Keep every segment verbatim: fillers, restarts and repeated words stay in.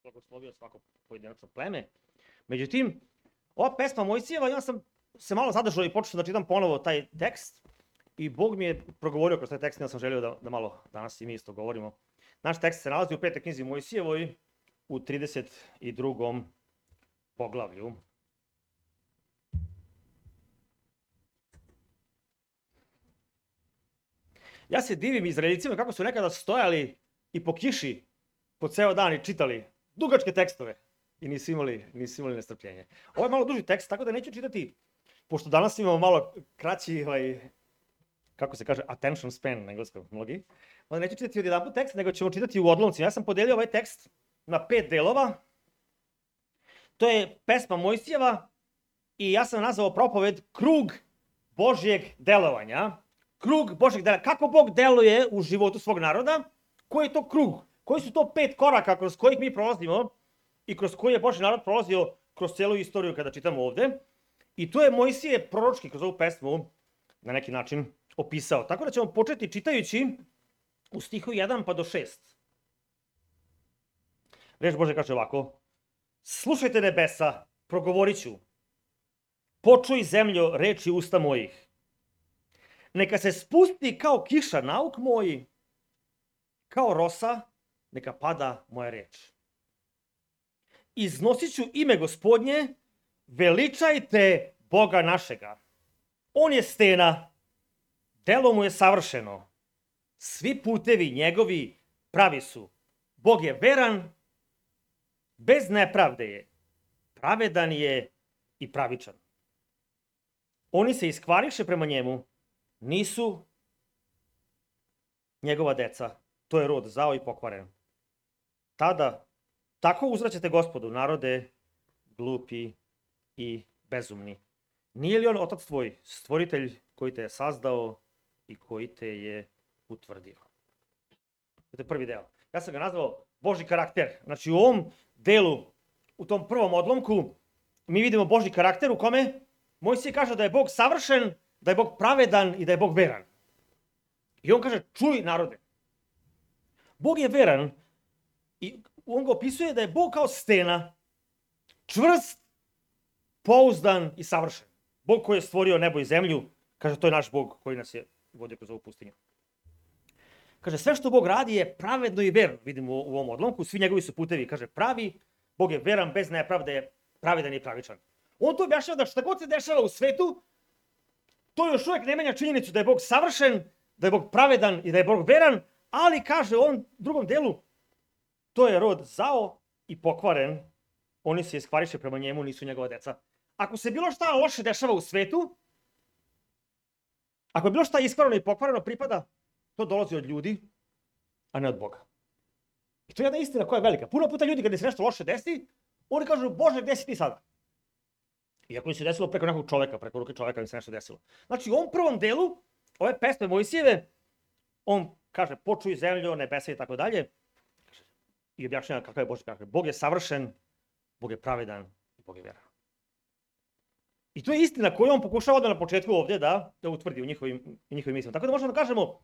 blagoslovio svako pojedinačno pleme. Međutim, ova pesma Mojsijeva, ja sam se malo zadržao i počeo da čitam ponovo taj tekst i Bog mi je progovorio kroz taj tekst, ja sam želio da, da malo danas i mi isto govorimo. Naš tekst se nalazi u petoj knjizi Mojsijevoj u trideset drugom poglavlju. Ja se divim Izraeljcima kako su nekada stojali i po kiši po ceo dan i čitali dugačke tekstove i nisu imali, nisu imali nestrpljenje. Ovo je malo duži tekst, tako da neću čitati, pošto danas imamo malo kraći, ovaj, kako se kaže, attention span na engleskom mnogi, onda neću čitati od jedan tekst, nego ćemo čitati u odlomcima. Ja sam podelio ovaj tekst na pet delova. To je pesma Mojsijeva i ja sam nazvao propoved Krug Božjeg delovanja. Krug Božjeg delovanja. Kako Bog deluje u životu svog naroda? Koji je to krug? Koji su to pet koraka kroz kojih mi prolazimo i kroz koji je Božji narod prolazio kroz celu istoriju kada čitamo ovde? I to je Mojsije proročki kroz ovu pesmu na neki način opisao. Tako da ćemo početi čitajući u stihu jedan pa do šest. Reč Bože kaže ovako: slušajte nebesa, progovorit ću. Počuj zemljo reči usta mojih. Neka se spusti kao kiša nauk moji, kao rosa neka pada moja reč. Iznosit ću ime Gospodnje, veličajte Boga našega. On je stena, delo mu je savršeno. Svi putevi njegovi pravi su. Bog je veran, bez nepravde je. Pravedan je i pravičan. Oni se iskvariše prema njemu, nisu njegova deca. To je rod zao i pokvaren. Tada, tako uzvraćate Gospodu, narode glupi i bezumni. Nije li on otac tvoj, stvoritelj koji te je sazdao i koji te je utvrdio? To je prvi deo. Ja sam ga nazvao Božji karakter. Znači u ovom delu, u tom prvom odlomku, mi vidimo Božji karakter u kome Mojsije kaže da je Bog savršen, da je Bog pravedan i da je Bog veran. I on kaže, čuj narode. Bog je veran i on ga opisuje da je Bog kao stena, čvrst, pouzdan i savršen. Bog koji je stvorio nebo i zemlju, kaže, to je naš Bog koji nas je vodio kroz ovu pustinju. Kaže, sve što Bog radi je pravedno i verno, vidimo u ovom odlomku, svi njegovi su putevi, kaže, pravi, Bog je veran, bez nepravde je pravedan i pravičan. On to objašnjava da šta god se dešava u svetu, to još uvijek ne menja činjenicu da je Bog savršen, da je Bog pravedan i da je Bog veran, ali kaže u ovom drugom delu, to je rod zao i pokvaren, oni se iskvariše prema njemu, nisu njegova deca. Ako se bilo šta loše dešava u svetu, ako je bilo šta iskvareno i pokvareno pripada, to dolazi od ljudi, a ne od Boga. I to je jedna istina koja je velika. Puno puta ljudi kada se nešto loše desi, oni kažu, Bože, gde si ti sada? Iako im se desilo preko nekog čoveka, preko ruke čoveka im se nešto desilo. Znači u ovom prvom delu, ove pesme Mojsijeve, on kaže, počuj zemljo, nebesa i tako dalje, i objašnjava kakav je Božji karakter. Bog je savršen, Bog je pravedan i Bog je veran. I to je istina koju on pokušava da na početku ovdje da, da utvrdi u njihovim, njihovim mislima. Tako da možemo da kažemo, uh,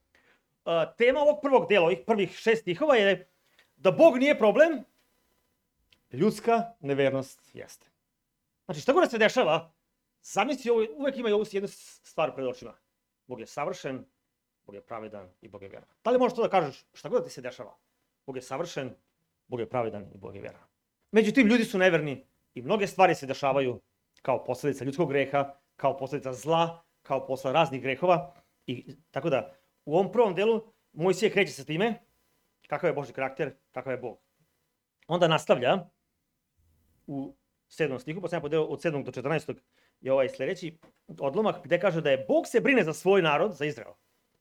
tema ovog prvog dela, ovih prvih šest stihova je da Bog nije problem, ljudska nevernost jeste. Znači šta god da se dešava, zamisli, uvek ima i ovu jednu stvar pred očima. Bog je savršen, Bog je pravedan i Bog je veran. Da li možeš to da kažeš šta god da ti se dešava? Bog je savršen, Bog je pravedan i Bog je veran. Međutim, ljudi su neverni i mnoge stvari se dešavaju kao posljedica ljudskog greha, kao posljedica zla, kao posljedica raznih grehova. I tako da, u ovom prvom delu Mojsije kreće sa time kakav je Božji karakter, kakav je Bog. Onda nastavlja u sedmom stihu, pa sam ja podeo od sedmog do četrnaestog je ovaj sljedeći odlomak gdje kaže da je Bog se brine za svoj narod, za Izrael.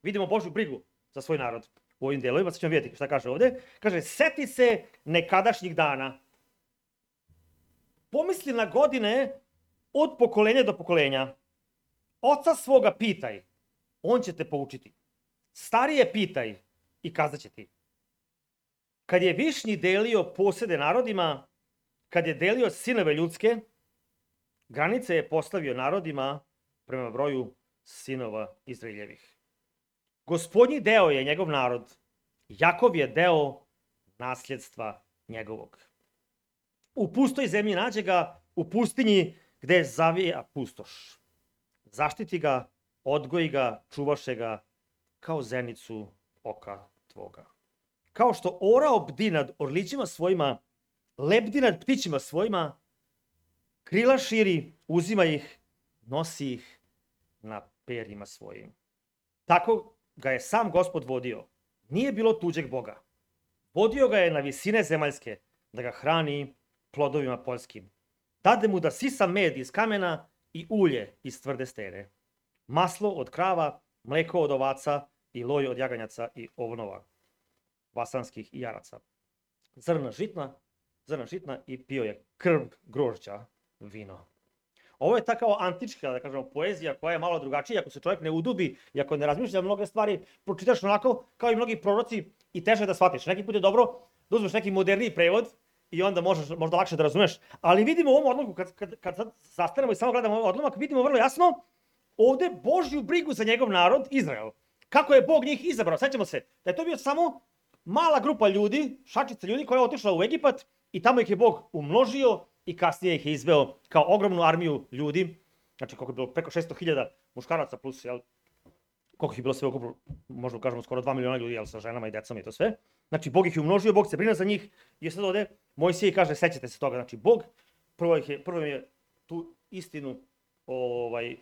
Vidimo Božju brigu za svoj narod u ovim delovima, sad ćemo vidjeti šta kaže ovdje. Kaže, seti se nekadašnjih dana. Pomisli na godine od pokolenja do pokolenja. Oca svoga pitaj, on će te poučiti. Starije pitaj i kazat će ti. Kad je Višnji delio posede narodima, kad je delio sinove ljudske, granice je postavio narodima prema broju sinova Izraeljevih. Gospodnji deo je njegov narod, Jakov je deo nasljedstva njegovog. u pustoj zemlji nađe ga, u pustinji gde zavija pustoš. Zaštiti ga, odgoji ga, čuvaše ga, kao zenicu oka tvoga. Kao što orao bdi nad orlićima svojima, lebdi nad ptićima svojima, krila širi, uzima ih, nosi ih na perima svojim. Tako ga je sam Gospod vodio. Nije bilo tuđeg Boga. Vodio ga je na visine zemaljske, da ga hrani plodovima poljskim. Dade mu da sisa med iz kamena i ulje iz tvrde stene. Maslo od krava, mleko od ovaca i loj od jaganjaca i ovnova, vasanskih i jaraca. Zrna žitna, zrna žitna i pio je krv grožđa, vino. Ovo je ta kao antička, da kažemo, poezija koja je malo drugačija, ako se čovjek ne udubi i ako ne razmišlja mnoge stvari, pročitaš onako kao i mnogi proroci i teže da shvatiš. Neki put je dobro da uzmeš neki moderniji prevod i onda možeš možda lakše da razumeš. Ali vidimo u ovom odlomku, kad, kad, kad sad zastanemo i samo gledamo ovaj odlomak, vidimo vrlo jasno ovde Božju brigu za njegov narod, Izrael. Kako je Bog njih izabrao. Sećamo se da je to bio samo mala grupa ljudi, šačica ljudi koja je otišla u Egipat i tamo ih je Bog umnožio i kasnije ih je izveo kao ogromnu armiju ljudi. Znači koliko je bilo preko šesto hiljada muškaraca plus, jel, koliko je bilo sve ukupno, možda kažemo skoro dva miliona ljudi, jel, sa ženama i decama i to sve. Znači Bog ih je umnožio, Bog se brine za njih i sad ovde Mojsije kaže, sećate se toga, znači Bog prvo, ih je, prvo je tu istinu ovaj,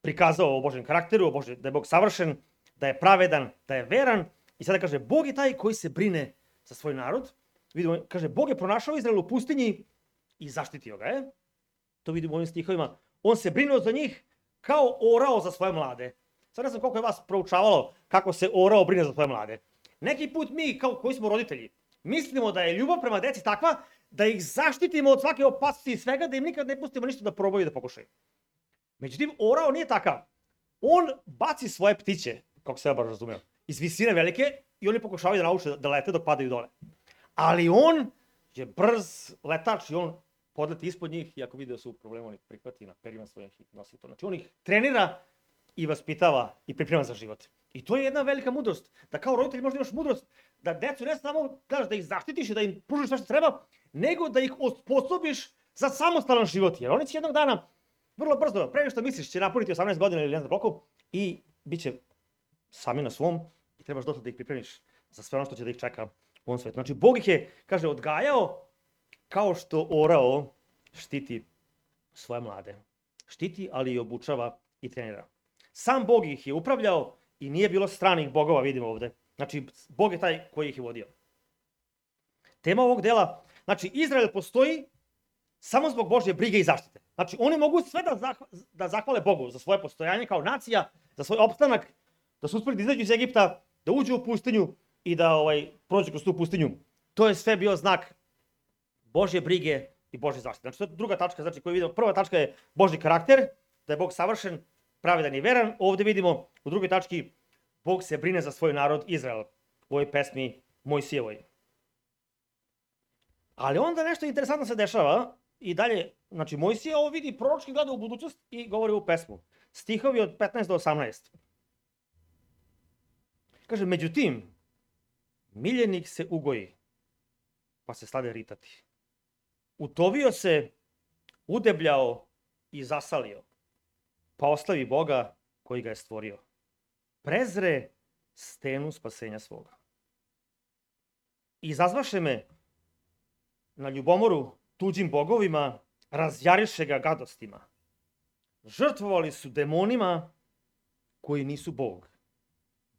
prikazao o Božjem karakteru, o Božjem, da je Bog savršen, da je pravedan, da je veran i sada kaže Bog je taj koji se brine za svoj narod. Vidimo, kaže Bog je pronašao Izrael u pustinji i zaštitio ga je. To vidimo u ovim stihovima. On se brinuo za njih kao orao za svoje mlade. Sad ne znam koliko je vas proučavalo kako se orao brine za svoje mlade. Neki put mi, kao koji smo roditelji, mislimo da je ljubav prema deci takva da ih zaštitimo od svake opasnosti i svega, da im nikad ne pustimo ništa da probaju i da pokušaju. Međutim, orao nije takav. On baci svoje ptiće, kako se ja baš razumeo, iz visine velike i oni pokušavaju da nauče da lete dok padaju dole. Ali on je brz letač i on podleti ispod njih i ako vidi da su u problemu, on ih prihvati na perima svojih i nosi to. Znači on ih trenira i vaspitava i priprema za život. I to je jedna velika mudrost. Da kao roditelj možda imaš mudrost da decu ne samo gledaš da ih zaštitiš i da im pružiš sve što treba, nego da ih osposobiš za samostalan život. Jer oni će jednog dana vrlo brzo, pre što misliš, će napuniti osamnaest godina ili ne znam koliko i bit će sami na svom i trebaš došli da ih pripremiš za sve ono što će da ih čeka u ovom svetu. Znači, Bog ih je, kaže, odgajao kao što orao štiti svoje mlade. Štiti, ali i obučava i trenira. Sam Bog ih je upravljao i nije bilo stranih bogova, vidimo ovde. Znači, Bog je taj koji ih je vodio. Tema ovog dela, znači, Izrael postoji samo zbog Božje brige i zaštite. Znači, oni mogu sve da, zahva, da zahvale Bogu za svoje postojanje kao nacija, za svoj opstanak, da su uspeli da izađu iz Egipta, da uđu u pustinju i da ovaj, prođu kroz tu pustinju. To je sve bio znak Božje brige i Božje zaštite. Znači, to je druga tačka, znači koju vidimo. Prva tačka je Božji karakter, da je Bog savršen, pravedan i veran. Ovde vidimo u drugoj tački Bog se brine za svoj narod Izrael u ovoj pesmi Mojsijevoj. Ali onda nešto interesantno se dešava i dalje, znači Mojsije ovo vidi proročki gleda u budućnost i govori u pesmu. Stihovi od petnaest do osamnaest. Kaže, međutim, miljenik se ugoji, pa se stade ritati. Utovio se, udebljao i zasalio, pa oslavi Boga koji ga je stvorio. Prezre stenu spasenja svoga. Izazvaše me na ljubomoru tuđim bogovima, razjariše ga gadostima. Žrtvovali su demonima koji nisu Bog,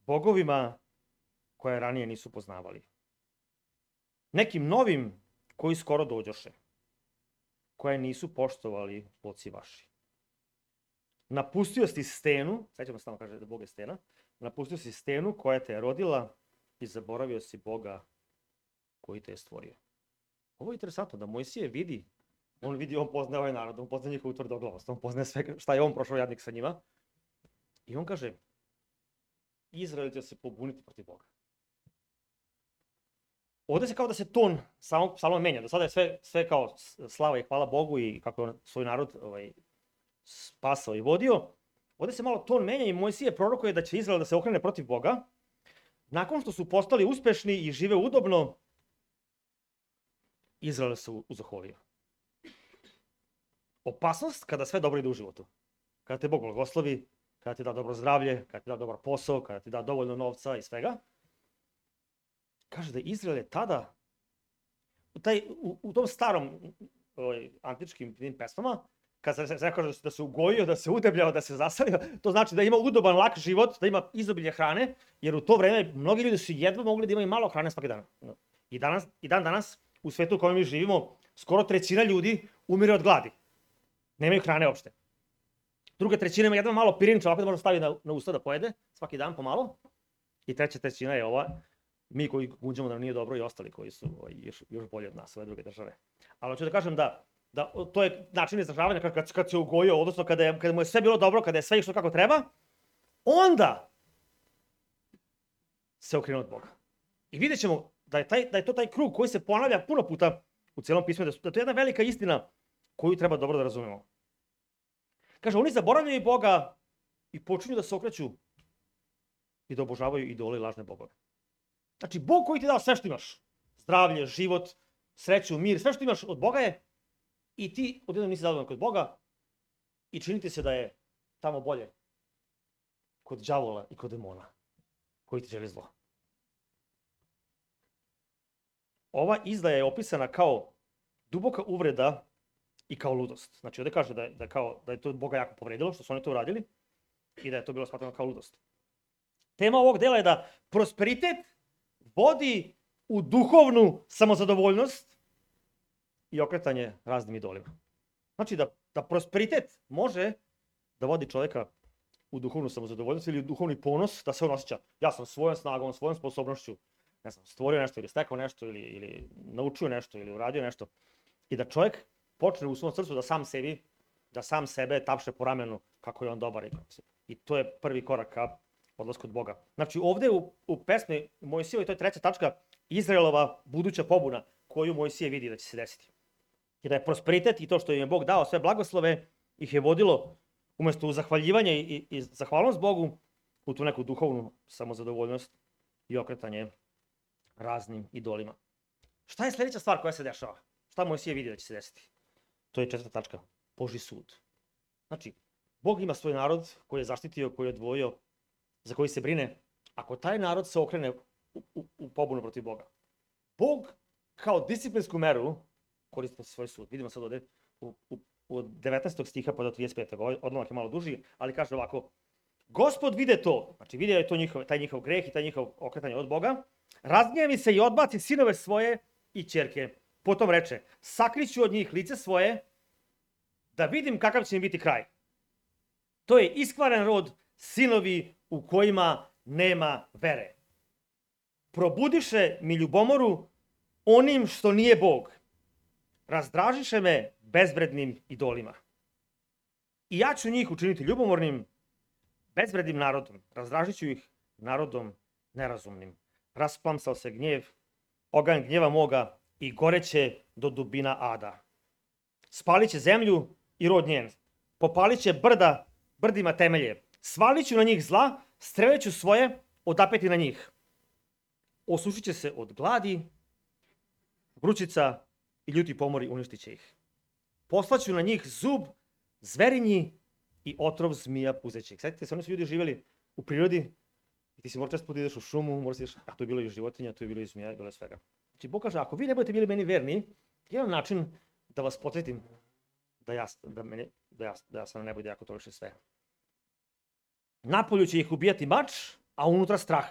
bogovima koje ranije nisu poznavali. Nekim novim koji skoro dođoše, koje nisu poštovali oci vaši. Napustio si stenu, sećamo se tamo kaže da Bog je stena, napustio si stenu koja te je rodila i zaboravio si Boga koji te je stvorio. Ovo je interesantno da Mojsije vidi, on vidi, on poznaje ovaj narod, on poznaje njihovu tvrdoglavost, on poznaje sve šta je on prošao jadnik sa njima. I on kaže, Izrael će se pobuniti protiv Boga. Ovde se kao da se ton samog psalma menja, do sada je sve, sve kao slava i hvala Bogu i kako je on svoj narod ovaj, spasao i vodio. Ovde se malo ton menja i Mojsije prorokuje da će Izrael da se okrene protiv Boga. Nakon što su postali uspešni i žive udobno, Izrael se uzoholio. Opasnost kada sve dobro ide u životu. Kada te Bog blagoslovi, kada ti da dobro zdravlje, kada ti da dobar posao, kada ti da dovoljno novca i svega. Kaže da Izrael je tada, u, taj, u, u tom starom ovaj, antičkim pesmama, kada se, se kaže da se ugojio, da se udebljao, da se zasalio, to znači da ima udoban, lak život, da ima izobilje hrane, jer u to vreme mnogi ljudi su jedva mogli da imaju malo hrane svaki dan. I, danas, i dan danas, u svetu u kojem mi živimo, skoro trećina ljudi umire od gladi. Nemaju hrane uopšte. Druga trećina ima jedva malo pirinča, ovako da može staviti na, na usta da pojede, svaki dan pomalo. I treća trećina je ova, mi koji gunđamo da nam nije dobro i ostali koji su ovaj, još, još bolji od nas, ove druge države. Ali hoću da kažem da, da to je način izražavanja kad, kad, kad se ugojio, odnosno kada, je, kada mu je sve bilo dobro, kada je sve išlo kako treba, onda se okrenuo od Boga. I vidjet ćemo da je, taj, da je to taj krug koji se ponavlja puno puta u cijelom pismu, da, su, da to je jedna velika istina koju treba dobro da razumemo. Kaže, oni zaboravljaju Boga i počinju da se okreću i da obožavaju idole i lažne bogove. Znači, Bog koji ti dao sve što imaš, zdravlje, život, sreću, mir, sve što imaš od Boga je, i ti odjednom nisi zadovoljan kod Boga i činiti se da je tamo bolje kod đavola i kod demona koji ti želi zlo. Ova izdaja je opisana kao duboka uvreda i kao ludost. Znači, ovdje kaže da je, da, kao, da je to Boga jako povredilo, što su oni to uradili, i da je to bilo smatrano kao ludost. Tema ovog dela je da prosperitet vodi u duhovnu samozadovoljnost i okretanje raznim idolima. Znači, da, da prosperitet može da vodi čovjeka u duhovnu samozadovoljnost ili u duhovni ponos, da se on osjeća, ja sam svojom snagom, svojom sposobnošću, ne znam, stvorio nešto ili stekao nešto ili, ili naučio nešto ili uradio nešto, i da čovjek počne u svom srcu da sam sebi, da sam sebe tapše po ramenu kako je on dobar. I to je prvi korak ka odlasku od Boga. Znači ovdje u, u pesmi Mojsijevoj, to je treća tačka, Izraelova buduća pobuna koju Mojsije vidi da će se desiti. I da je prosperitet i to što im je Bog dao, sve blagoslove, ih je vodilo umjesto u zahvaljivanje i, i, i zahvalnost Bogu u tu neku duhovnu samozadovoljnost i okretanje raznim idolima. Šta je sljedeća stvar koja se dešava? Šta Mojsije vidi da će se desiti? To je četvrta tačka, Božji sud. Znači, Bog ima svoj narod koji je zaštitio, koji je odvojio, za koji se brine. Ako taj narod se okrene u, u, u pobunu protiv Boga, Bog kao disciplinsku meru koristi svoj sud. Vidimo sad ovdje u, u, u devetnaestog stiha pa do trideset petog odlomak je malo duži, ali kaže ovako: Gospod vide to, znači vidio je to njihov, taj njihov greh i taj njihov okretanje od Boga, razgnjevi se i odbaci sinove svoje i ćerke. Potom reče, sakriću od njih lice svoje, da vidim kakav će im biti kraj. To je iskvaren rod, sinovi u kojima nema vere. Probudiše mi ljubomoru onim što nije Bog. Razdražiše me bezvrednim idolima. I ja ću njih učiniti ljubomornim, bezvrednim narodom. Razdražit ću ih narodom nerazumnim. Rasplamsao se gnjev, oganj gnjeva moga i goreće do dubina ada. Spalit će zemlju i rod njen. Popalit će brda, brdima temelje. Svalit ću na njih zla, streleću svoje, odapeti na njih. Osušit će se od gladi, vrućica i ljuti pomori uništit će ih. Poslaću na njih zub, zverinji i otrov zmija puzećih. Sjetite se, oni su ljudi živjeli u prirodi i ti si mora često ideš u šumu, mora si ideš, a tu je bilo i životinja, tu je bilo i zmija, bilo je svega. Znači, Bog kaže, ako vi ne budete bili meni verni, jedan način da vas podsjetim da ja, da meni, da ja, da ja sam na nebu i da ja kontrolišem sve. Napolju će ih ubijati mač, a unutra strah.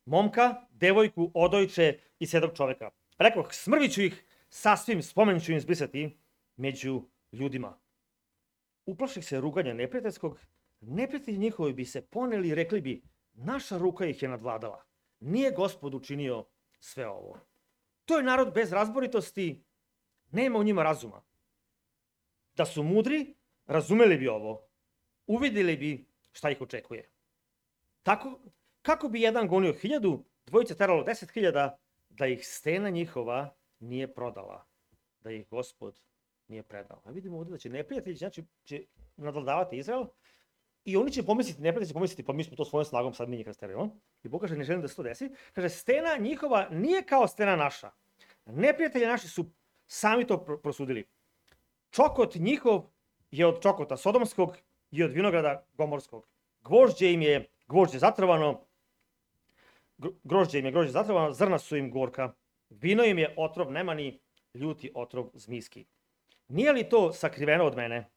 Momka, devojku, odojče i sedog čovjeka. Rekoh, smrvit ću ih, sasvim spomen ću im zbrisati među ljudima. Uplaših se ruganja neprijateljskog, neprijatelji njihovi bi se poneli i rekli bi, naša ruka ih je nadvladala. Nije Gospod učinio sve ovo. To je narod bez razboritosti, nema u njima razuma. Da su mudri, razumeli bi ovo, uvidjeli bi šta ih očekuje. Tako, kako bi jedan gonio hiljadu, dvojice teralo deset hiljada, da ih stena njihova nije prodala, da ih Gospod nije predao. A vidimo ovdje da će neprijatelji, znači će nadvladavati Izrael i oni će pomisliti, neprijatelji će pomisliti, pa mi smo to svojom snagom sad mi njih rasterimo. I Bog kaže, ne želim da se to desi. Kaže, stena njihova nije kao stena naša. Neprijatelji naši su sami to prosudili. Čokot njihov je od čokota sodomskog i od vinograda gomorskog. Gvožđe im je gvožđe zatrovano, grožđe im je grožđe zatrovano, zrna su im gorka. Vino im je otrov nemani, ljuti otrov zmijski. Nije li to sakriveno od mene,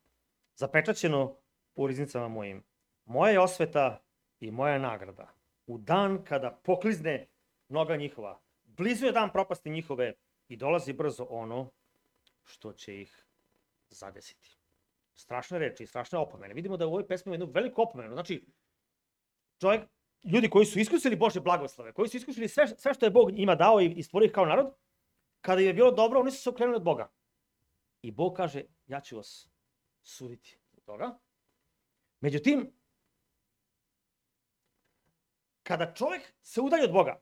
zapečaćeno u riznicama mojim? Moja je osveta i moja nagrada. U dan kada poklizne noga njihova, blizu je dan propasti njihove i dolazi brzo ono što će ih zadesiti. Strašne reči, strašne opomene. Vidimo da u ovoj pesmi ima jednu veliku opomenu. Znači, čovjek, ljudi koji su iskusili Božje blagoslove, koji su iskusili sve, sve što je Bog njima dao i, i stvorio ih kao narod, kada im je bilo dobro, oni su se okrenuli od Boga. I Bog kaže, ja ću vas suditi od toga. Međutim, kada čovjek se udalji od Boga,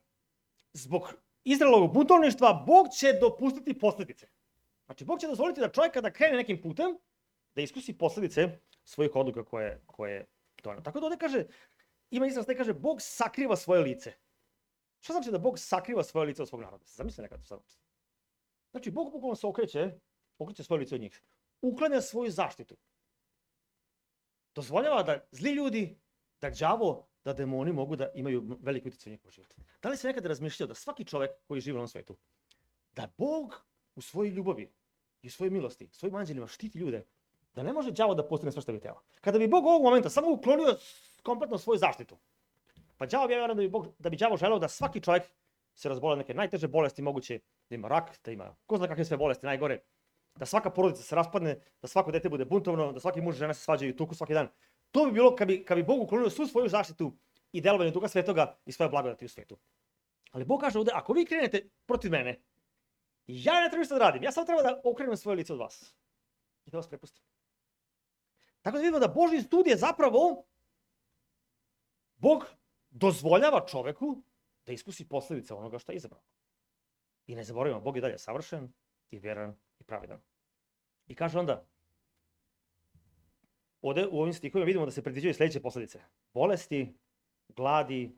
zbog Izraelovog buntovništva, Bog će dopustiti posljedice. Znači, Bog će dozvoliti da čovjek kada krene nekim putem, da iskusi posljedice svojih odluka koje, koje donio. Tako da ovdje kaže, ima izraz da kaže, Bog sakriva svoje lice. Što znači da Bog sakriva svoje lice od svog naroda? Zamislite nekad to sad. Znači, Bog bukvalno se okreće, okreće svoje lice od njih. Uklanja svoju zaštitu. Dozvoljava da zli ljudi, da đavo, da demoni mogu da imaju veliki utjecaj u njihov život. Da li se nekada razmišljao da svaki čovjek koji živi na ovom svijetu, da Bog u svojoj ljubavi i u svojoj milosti, svojim anđelima štiti ljude, da ne može đavo da postigne sve što bi htjela. Kada bi Bog ovog momenta samo uklonio kompletno svoju zaštitu, pa đavo bi ja vjerujem da bi, Bog, da bi đavo želeo da svaki čovjek se razbole neke najteže bolesti moguće, da ima rak, da ima ko zna kakve sve bolesti najgore, da svaka porodica se raspadne, da svako dete bude buntovno, da svaki muž i žena se svađaju i tuku svaki dan. To bi bilo kad bi, kad bi Bog uklonio svu svoju zaštitu i delovanje Duha Svetoga i svoje blagodati u svijetu. Ali Bog kaže ovdje, ako vi krenete protiv mene, ja ne treba ništa da radim, ja samo treba da okrenem svoje lice od vas i da vas prepustim. Tako da vidimo da Božji sud je zapravo, Bog dozvoljava čoveku da iskusi posljedice onoga što je izabrao. I ne zaboravimo, Bog je dalje savršen i vjeran i pravedan. I kaže onda, ovdje u ovim stihovima vidimo da se predviđaju sljedeće posljedice. Bolesti, gladi,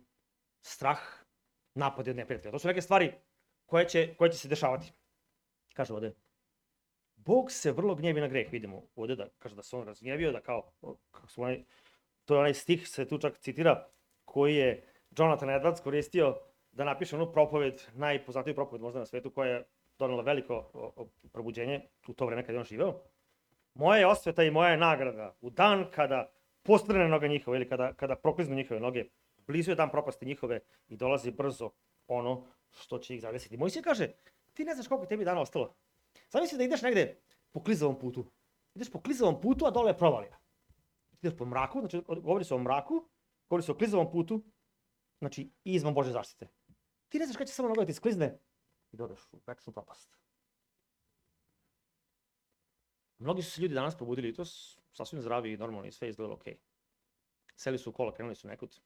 strah, napadi od neprijatelja. To su neke stvari koje će, koje će se dešavati. Kaže ovdje, Bog se vrlo gnjevi na greh, vidimo ovdje da kaže da se on razgnjevio, da kao, kako smo onaj, to je onaj stih, se tu čak citira, koji je Jonathan Edwards koristio da napiše onu propoved, najpoznatiju propoved možda na svijetu, koja je donela veliko probuđenje u to vrijeme kada je on živeo. Moja je osveta i moja je nagrada u dan kada postrane noga njihove ili kada, kada prokliznu njihove noge, blizu je dan propasti njihove i dolazi brzo ono što će ih zadesiti. Mojsije kaže, ti ne znaš koliko tebi dana ostalo. Zamisli da ideš negdje po klizavom putu. Ideš po klizavom putu, a dole je provalija. Ideš po mraku, znači govori se o mraku, govori se o klizavom putu, znači izvan Božje zaštite. Ti ne znaš kada će samo noga da ti sklizne i da odeš u večnu propast. Mnogi su se ljudi danas probudili i to su sasvim zdravi i normalni i sve izgledalo okej. Seli su u kola, krenuli su nekud,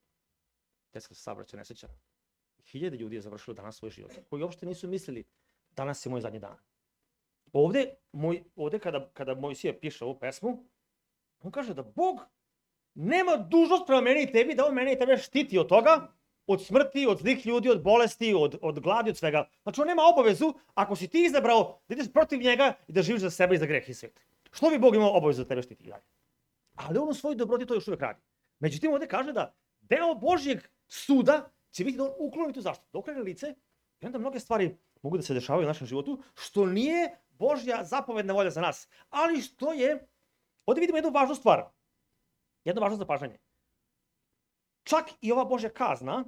desila se saobraćajna nesreća. Hiljade ljudi je završilo danas svoj život, koji uopšte nisu mislili danas je moj zadnji dan. Ovdje, moj, ovdje kada, kada Mojsije piše ovu pesmu, on kaže da Bog nema dužnost prema meni i tebi, da on mene i tebe štiti od toga, od smrti, od zlih ljudi, od bolesti, od, od gladi, od svega. Znači on nema obavezu, ako si ti izabrao da ideš protiv njega i da živiš za sebe i za greh i svijet. Što bi Bog imao obavezu da tebe štiti i dalje? Ali on u svojoj dobroti to još uvijek radi. Međutim, ovdje kaže da deo Božjeg suda će biti da on ukloni tu zaštitu, da okrene lice i onda mnoge stvari mogu da se dešavaju u našem životu, što nije Božja zapovedna volja za nas. Ali što je, ovdje vidimo jednu važnu stvar, jedno važno zapažanje. Čak i ova Božja kazna,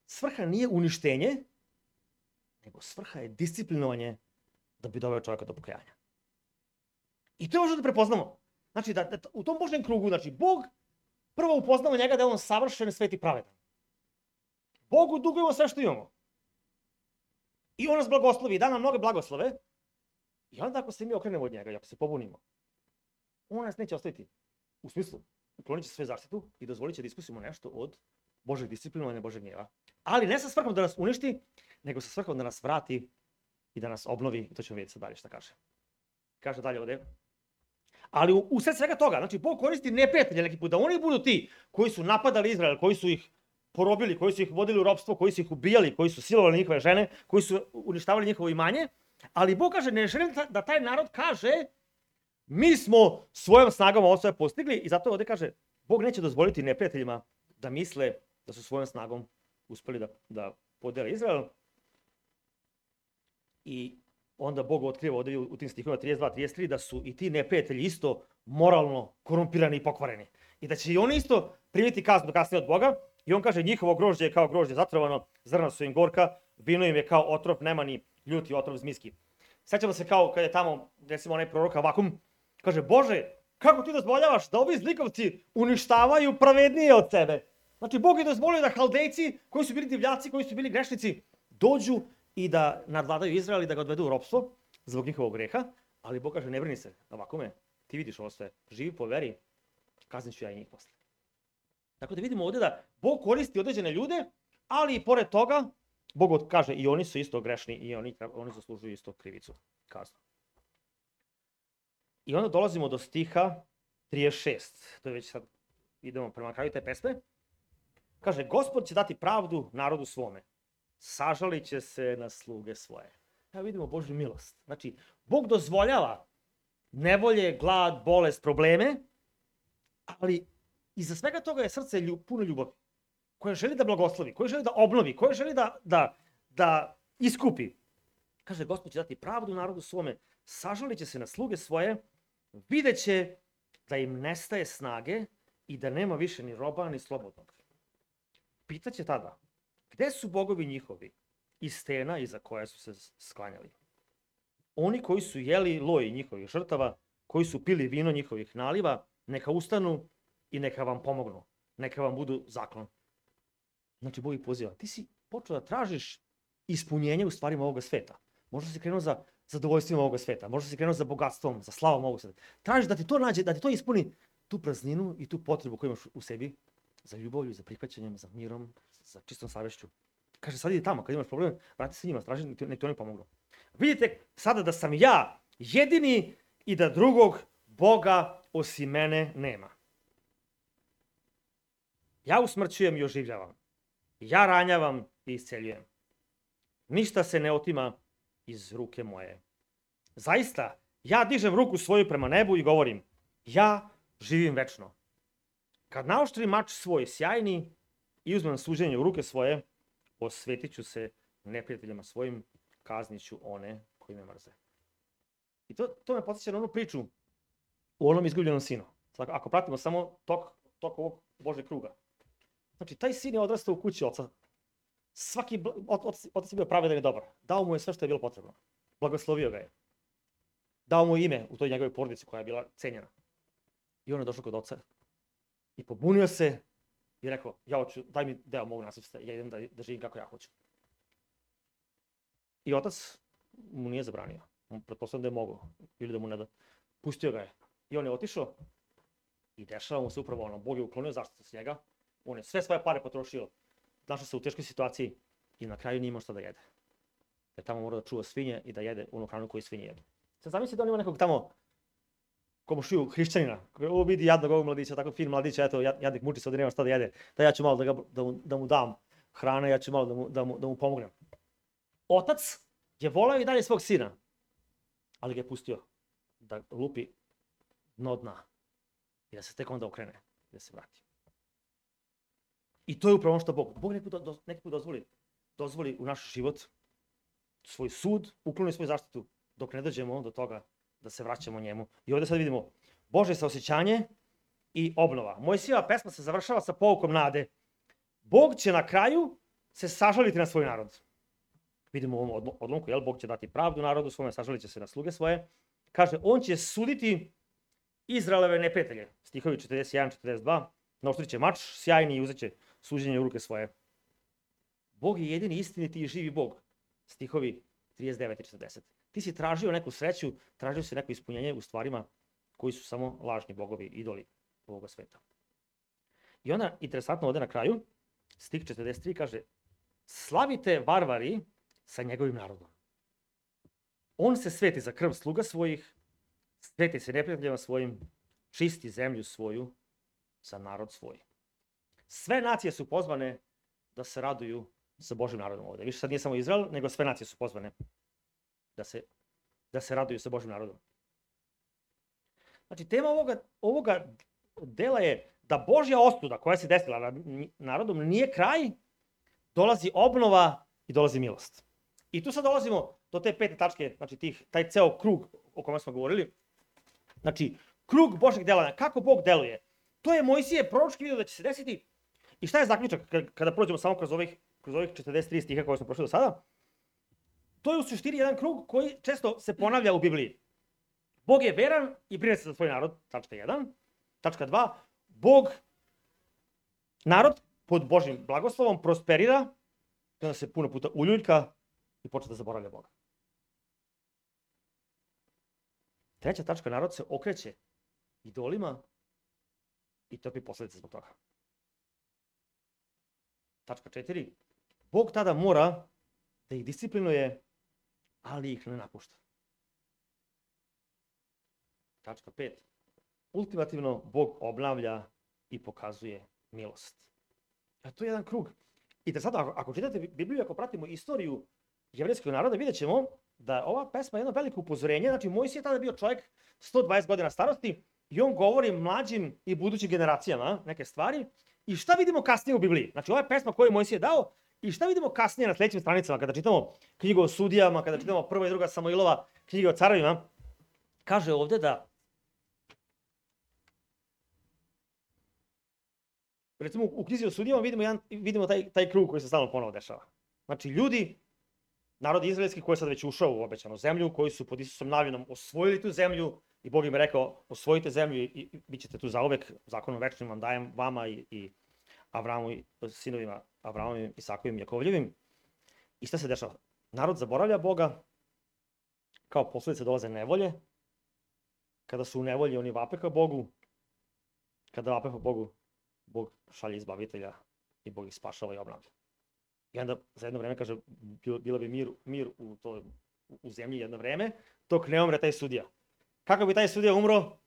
svrha nije uništenje, nego svrha je disciplinovanje da bi doveo čovjeka do pokajanja. I to je možda da prepoznamo. Znači, da, da u tom Božjem krugu, znači, Bog prvo upoznamo njega da je on savršen, svet i pravedan. Bogu dugujemo sve što imamo. I on nas blagoslovi, da nam mnoge blagoslove. I onda ako se mi okrenemo od njega i ako se pobunimo, on nas neće ostaviti. U smislu, uklonit će sve zaštitu i dozvolit će da iskusimo nešto od Božeg disciplinovanja, Božeg gnjeva. Ali ne sa svrhom da nas uništi, nego sa svrhom da nas vrati i da nas obnovi. I to ćemo vidjeti sad dalje šta kaže. Kaže dalje ovdje. Ali u, u sred svega toga, znači Bog koristi neprijatelje neki put, da oni budu ti koji su napadali Izrael, koji su ih porobili, koji su ih vodili u ropstvo, koji su ih ubijali, koji su silovali njihove žene, koji su uništavali njihovo imanje. Ali Bog kaže, ne želim da taj narod kaže, mi smo svojom snagom ovo sve postigli i zato ovdje kaže, Bog neće dozvoliti neprijateljima da misle da su svojom snagom uspjeli da, da podele Izrael. I onda Bog otkriva ovdje u tim stihovima trideset dva trideset tri da su i ti neprijatelji isto moralno korumpirani i pokvareni. I da će i oni isto primiti kaznu kasnije od Boga. I on kaže, njihovo grožđe je kao grožđe zatrovano, zrna su im gorka, vino im je kao otrov, nema ni ljuti otrov zmijski. Sjećamo se kao kad je tamo, recimo onaj prorok Avakum, kaže, Bože, kako ti dozvoljavaš da ovi zlikovci uništavaju pravednije od sebe? Znači, Bog je dozvolio da Haldejci, koji su bili divljaci, koji su bili grešnici, dođu i da nadvladaju Izrael i da ga odvedu u ropstvo zbog njihovog greha, ali Bog kaže, ne brini se, Avakume, ti vidiš ovo sve, živi po veri, kaznit ću ja i njih posle. Tako da vidimo ovdje da Bog koristi određene ljude, ali i pored toga, Bog kaže i oni su isto grešni i oni, oni zaslužuju isto krivicu, kaznu. I onda dolazimo do stiha trideset šest. To je već sad, idemo prema kraju te pesme. Kaže, Gospod će dati pravdu narodu svome. Sažalit će se na sluge svoje. Evo vidimo Božju milost. Znači, Bog dozvoljava nevolje, glad, bolest, probleme, ali iza svega toga je srce ljub, puno ljubavi, koje želi da blagoslovi, koje želi da obnovi, koje želi da, da, da iskupi. Kaže, Gospod će dati pravdu narodu svome, sažalit će se na sluge svoje, vidjet će da im nestaje snage i da nema više ni roba ni slobodnog. Pitaće tada, gde su bogovi njihovi i stena iza koje su se sklanjali? Oni koji su jeli loj njihovih žrtava, koji su pili vino njihovih naliva, neka ustanu i neka vam pomognu, neka vam budu zaklon. Znači, Bog ih poziva. Ti si počeo da tražiš ispunjenje u stvarima ovoga sveta. Možda si krenuo za zadovoljstvima ovoga sveta, možda si krenuo za bogatstvom, za slavom ovog sveta. Tražiš da ti to nađe, da ti to ispuni tu prazninu i tu potrebu koju imaš u sebi za ljubavlju, za prihvaćanjem, za mirom, za čistom savješću. Kaže, sad idi tamo, kad imaš problem, vrati se njima, traži, nek ti oni pomognu. Vidite sada da sam ja jedini i da drugog Boga osim mene nema. Ja usmrćujem i oživljavam. Ja ranjavam i isceljujem. Ništa se ne otima iz ruke moje. Zaista, ja dižem ruku svoju prema nebu i govorim, ja živim večno. Kad naoštrim mač svoj sjajni i uzmem suđenje u ruke svoje, osvetit ću se neprijateljima svojim, kaznit ću one koji me mrze. I to, to me podsjeća na onu priču u onom izgubljenom sinu. Ako pratimo samo tok, tok ovog Božeg kruga. Znači, taj sin je odrastao u kući oca. Svaki otac je bio pravedan i dobar. Dao mu je sve što je bilo potrebno. Blagoslovio ga je. Dao mu ime u toj njegovoj porodici koja je bila cenjena. I on je došao kod oca. I pobunio se i rekao, ja hoću, daj mi deo mog nasledstva, ja idem da, da živim kako ja hoću. I otac mu nije zabranio. On pretpostavljam da je mogao. Ili da mu ne da. Pustio ga je. I on je otišao i dešava mu se upravo ono. Bog je uklonio zaštitu s njega. On je sve svoje pare potrošio. Našao se u teškoj situaciji i na kraju nije imao šta da jede. Jer tamo mora da čuva svinje i da jede onu hranu koju svinje jedu. Sad zamislite da on ima nekog tamo komušiju hrišćanina. Ovo vidi jadnog ovog mladića, tako fin mladića, eto jadnik muči se, ovdje nema šta da jede. Da ja ću malo da, ga, da, mu, da mu dam hrane, ja ću malo da mu, da mu, da mu pomognem. Otac je voleo i dalje svog sina, ali ga je pustio da lupi dno dna i da se tek onda okrene, da se vrati. I to je upravo ono što Bog. Bog neki put, do, neki put dozvoli, dozvoli u naš život svoj sud, ukloni svoju zaštitu, dok ne dođemo do toga da se vraćamo njemu. I ovdje sad vidimo Božje saosjećanje i obnova. Mojsijeva pesma se završava sa poukom nade. Bog će na kraju se sažaliti na svoj narod. Vidimo u ovom odlomku, jel? Bog će dati pravdu narodu svome, sažalit će se na sluge svoje. Kaže, on će suditi Izraeleve neprijatelje. Stihovi četrdeset jedan četrdeset dva. Naoštrit će mač sjajni i uzet će suđenje u ruke svoje. Bog je jedini istiniti i živi Bog. Stihovi trideset devet i četrdeset. Ti si tražio neku sreću, tražio si neko ispunjenje u stvarima koji su samo lažni bogovi, idoli ovoga sveta. I onda, interesantno ovdje na kraju, stih četrdeset tri kaže, slavite varvari sa njegovim narodom. On se sveti za krv sluga svojih, sveti se neprijateljima svojim, čisti zemlju svoju za narod svoj. Sve nacije su pozvane da se raduju sa Božim narodom ovdje. Više sad nije samo Izrael, nego sve nacije su pozvane. da se, da se raduju sa Božim narodom. Znači, tema ovoga, ovoga dela je da Božja osuda koja se desila nad narodom nije kraj, dolazi obnova i dolazi milost. I tu sad dolazimo do te pete tačke, znači tih, taj ceo krug o kome smo govorili. Znači, krug Božjeg delovanja, kako Bog deluje. To je Mojsije proročki video da će se desiti. I šta je zaključak kada prođemo samo kroz ovih, kroz ovih četrdeset tri stiha koje smo prošli do sada? To je u suštini jedan krug koji često se ponavlja u Bibliji. Bog je veran i brine se za svoj narod, tačka jedan. Tačka dva, Bog, narod pod Božjim blagoslovom prosperira, i onda se puno puta uljuljka i počne da zaboravlja Boga. Treća tačka, narod se okreće idolima i trpi posledice zbog toga. Tačka četiri, Bog tada mora da ih disciplinuje, ali ih ne napušta. Tačka pet, ultimativno Bog obnavlja i pokazuje milost. A to je jedan krug. I da sada, ako, ako čitate Bibliju, ako pratimo istoriju jevrejskog naroda, vidjet ćemo da ova pesma je jedno veliko upozorenje. Znači, Mojsije je tada bio čovjek sto dvadeset godina starosti i on govori mlađim i budućim generacijama neke stvari. I šta vidimo kasnije u Bibliji? Znači, ova je pesma koju je Mojsije dao i šta vidimo kasnije na sledećim stranicama kada čitamo knjigu o sudijama, kada čitamo prva i druga Samuilova, knjiga o carovima. Kaže ovde da recimo u knjizi o sudijama vidimo, jedan, vidimo taj, taj krug koji se stalno ponovo dešava. Znači, ljudi, narod izraelski koji je sad već ušao u obećanu zemlju, koji su pod Isusom navinom osvojili tu zemlju i Bog im je rekao, osvojite zemlju i, i bit ćete tu zauvek, zakonom večnim vam dajem vama i, i Avramu i sinovima Avramovim, Isakovim, Jakovljevim. I šta se dešava? Narod zaboravlja Boga, kao posledice dolaze nevolje. Kada su u nevolji, oni vape ka Bogu. Kada vape ka Bogu, Bog šalje izbavitelja i Bog ih spašava i obnavlja. I onda za jedno vreme kaže, bilo bi mir, mir u, to, u zemlji jedno vreme, dok ne umre taj sudija. Kako bi taj sudija umro,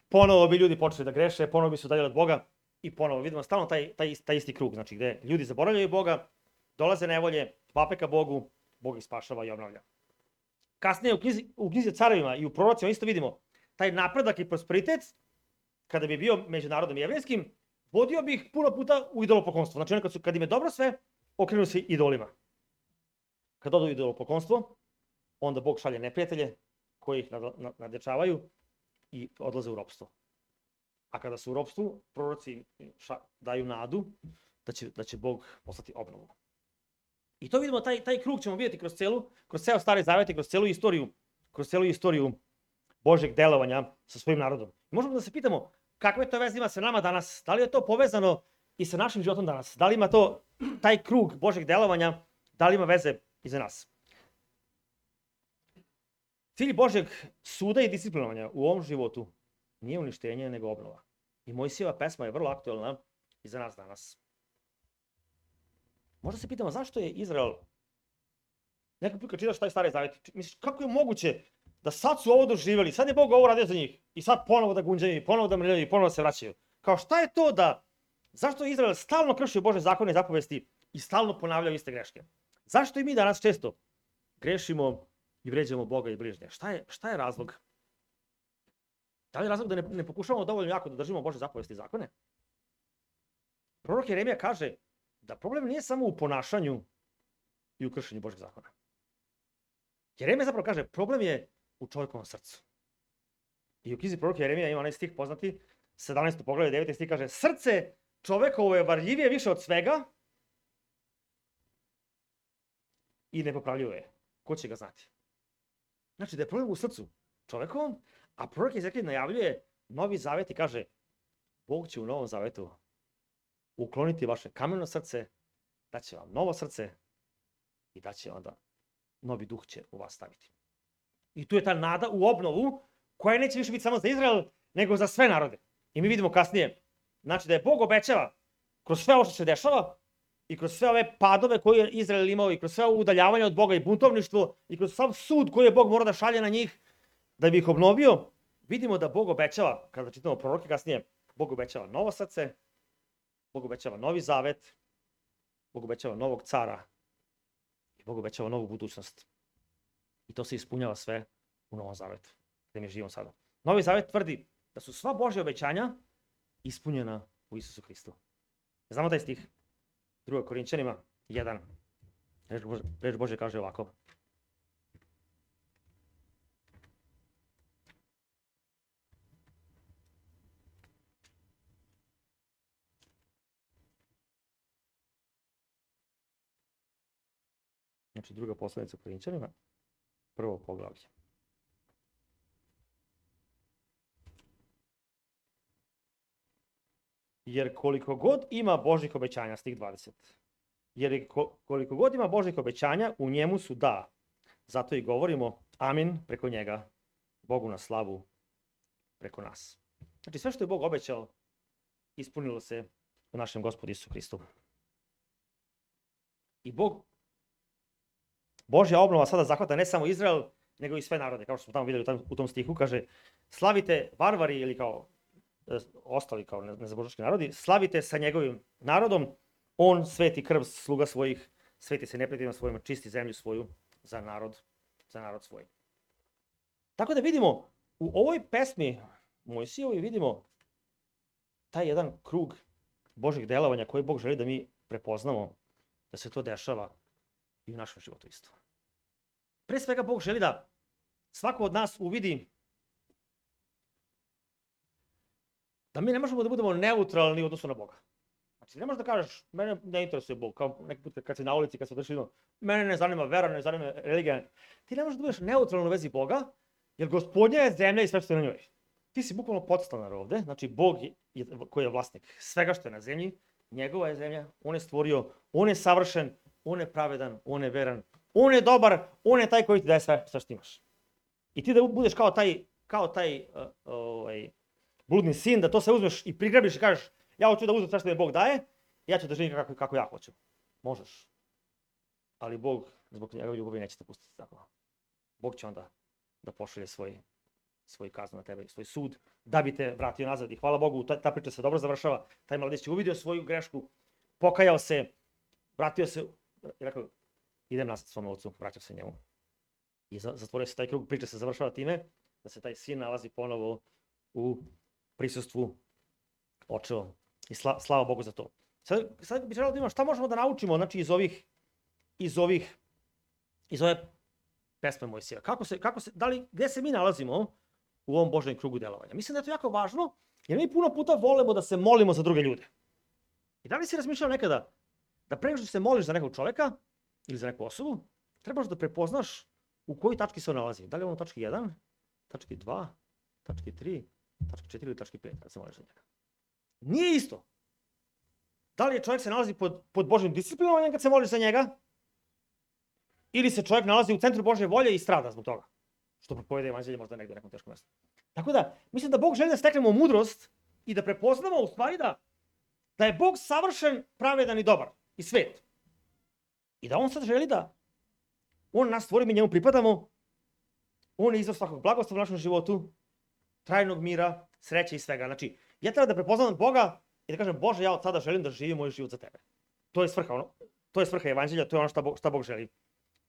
ponovo bi ljudi počeli da greše, ponovo bi se udaljili od Boga i ponovo vidimo stalno taj, taj, taj isti krug, znači gde ljudi zaboravljaju Boga, dolaze nevolje, vape ka Bogu, Bog ih spašava i obnavlja. Kasnije u knjizi, u knjizi o carevima i u prorocima isto vidimo taj napredak i prosperitet, kada bi bio među narodom jevrejskim, vodio bi ih puno puta u idolopoklonstvo. Znači, kad, su, kad im je dobro sve, okrenu se idolima. Kad odu u idolopoklonstvo, onda Bog šalje neprijatelje koji ih nadjačavaju i odlaze u ropstvo. A kada su u ropstvu, proroci ša, daju nadu da će, da će Bog poslati obnovu. I to vidimo, taj, taj krug ćemo vidjeti kroz celu, kroz ceo Stari Zavet i kroz celu istoriju, kroz celu istoriju Božjeg delovanja sa svojim narodom. I možemo da se pitamo, kakve to veze ima sa nama danas? Da li je to povezano i sa našim životom danas? Da li ima to, taj krug Božjeg delovanja, da li ima veze i za nas? Cilj Božjeg suda i disciplinovanja u ovom životu nije uništenje, nego obnova. I Mojsijeva pesma je vrlo aktuelna i za nas danas. Možda se pitamo zašto je Izrael, nekako put kad čitaš taj Stari Zavet, misliš kako je moguće da sad su ovo doživjeli, sad je Bog ovo radio za njih i sad ponovo da gunđaju, i ponovo da mrljaju, i ponovo da se vraćaju. Kao šta je to da, zašto je Izrael stalno kršio Bože zakone i zapovesti i stalno ponavljaju iste greške? Zašto i mi danas često grešimo i vređamo Boga i bližnje? Šta je, šta je razlog? Da li je razlog da ne, ne pokušavamo dovoljno jako da držimo Bože zapovesti i zakone? Prorok Jeremija kaže da problem nije samo u ponašanju i u kršenju Božeg zakona. Jeremija zapravo kaže, problem je u čovjekovom srcu. I u knjizi proroka Jeremija ima onaj stih poznati, sedamnaesto poglavlje, deveti stih kaže, srce čovekovo je varljivije više od svega i nepopravljivo je. Ko će ga znati? Znači da je problem u srcu čovekovom, a prorok Ezekijel najavljuje Novi Zavet i kaže, Bog će u Novom Zavetu ukloniti vaše kameno srce, daće vam novo srce i daće onda novi duh će u vas staviti. I tu je ta nada u obnovu koja neće više biti samo za Izrael, nego za sve narode. I mi vidimo kasnije, znači da je Bog obećava kroz sve ovo što se dešava i kroz sve ove padove koje je Izrael imao i kroz sve ovo udaljavanje od Boga i buntovništvo i kroz sav sud koji je Bog morao da šalje na njih da bi ih obnovio, vidimo da Bog obećava, kada čitamo proroke kasnije, Bog obećava novo srce, Bog obećava novi zavet, Bog obećava novog cara i Bog obećava novu budućnost. I to se ispunjava sve u Novom Zavetu, gde mi živimo sada. Novi Zavet tvrdi da su sva Božja obećanja ispunjena u Isusu Hristu. Znamo taj stih? Druga Korinćanima jedan. Reč Bože, reč Bože kaže ovako. Znači druga poslanica Korinćanima, prvo poglavlje. Jer koliko god ima Božjih obećanja, stih dvadeset, jer koliko god ima Božjih obećanja, u njemu su da. Zato i govorimo amin preko njega, Bogu na slavu preko nas. Znači sve što je Bog obećao, ispunilo se u našem Gospodu Isusu Hristu. I Bog, Božja obnova sada zahvata ne samo Izrael, nego i sve narode. Kao što smo tamo vidjeli u tom stihu, kaže slavite varvari ili kao ostali kao nezabožački narodi, slavite sa njegovim narodom, on sveti krv sluga svojih, sveti se neprijateljima svojima, čisti zemlju svoju za narod, za narod svoj. Tako da vidimo, u ovoj pesmi Mojsijevoj vidimo taj jedan krug Božjih delovanja koji Bog želi da mi prepoznamo, da se to dešava i u našem životu isto. Pre svega Bog želi da svako od nas uvidi da mi ne možemo da budemo neutralni u odnosu na Boga. Znači, ne možeš da kažeš, mene ne interesuje Bog, kao neki put kad si na ulici, kad se odrešli, mene ne zanima vera, ne zanima religija. Ti ne možeš da budeš neutralan u vezi Boga, jer Gospodnja je zemlja i sve što je na njoj. Ti si bukvalno podstanar ovde, znači Bog je, koji je vlasnik svega što je na zemlji, njegova je zemlja, on je stvorio, on je savršen, on je pravedan, on je veran, on je dobar, on je taj koji ti daje sve, sve što imaš. I ti da budeš kao taj, kao taj uh, ovaj, bludni sin, da to se uzmeš i prigrabiš i kažeš ja hoću da uzmem sve što mi Bog daje, ja ću da živim kako, kako ja hoću. Možeš. Ali Bog, zbog njegove ljubavi, neće te pustiti tako. Bog će onda da pošalje svoj, svoj kaznu na tebe, svoj sud, da bi te vratio nazad. I hvala Bogu, ta, ta priča se dobro završava. Taj mladić je uvidio svoju grešku, pokajao se, vratio se i rekao, idem nazad svom ocu, vraćao se njemu. I zatvorio se taj krug, priča se završava time da se taj sin nalazi ponovo u prisustvu očeva. I sla, slava Bogu za to. Sad, sad bih želeo da imam šta možemo da naučimo, znači iz ovih, iz ovih, iz ove pesme Mojsija. Kako se, kako se, da li, gde se mi nalazimo u ovom Božjem krugu delovanja? Mislim da je to jako važno, jer mi puno puta volimo da se molimo za druge ljude. I da li si razmišljao nekada da pre nego što se moliš za nekog čoveka ili za neku osobu, trebaš da prepoznaš u kojoj tački se on nalazi. Da li je on u tački jedan, tački dva, tački tri, tački četiri ili tački pet, kada se moliš za njega. Nije isto. Da li je čovjek se nalazi pod, pod Božjim disciplinovanjem kad se moliš za njega, ili se čovjek nalazi u centru Božje volje i strada zbog toga, što propoveda evanđelje možda negdje u nekom teškom mjestu. Tako da, mislim da Bog želi da steknemo mudrost i da prepoznamo u stvari da, da je Bog savršen, pravedan i dobar i svet. I da on sad želi da on nas stvori, mi njemu pripadamo, on je izvor svakog blagoslova u našem životu, trajnog mira, sreće i svega. Znači, ja treba da prepoznam Boga i da kažem, Bože, ja od sada želim da živim moj život za tebe. To je svrha, ono, to je svrha evanđelja, to je ono šta Bog, šta Bog želi.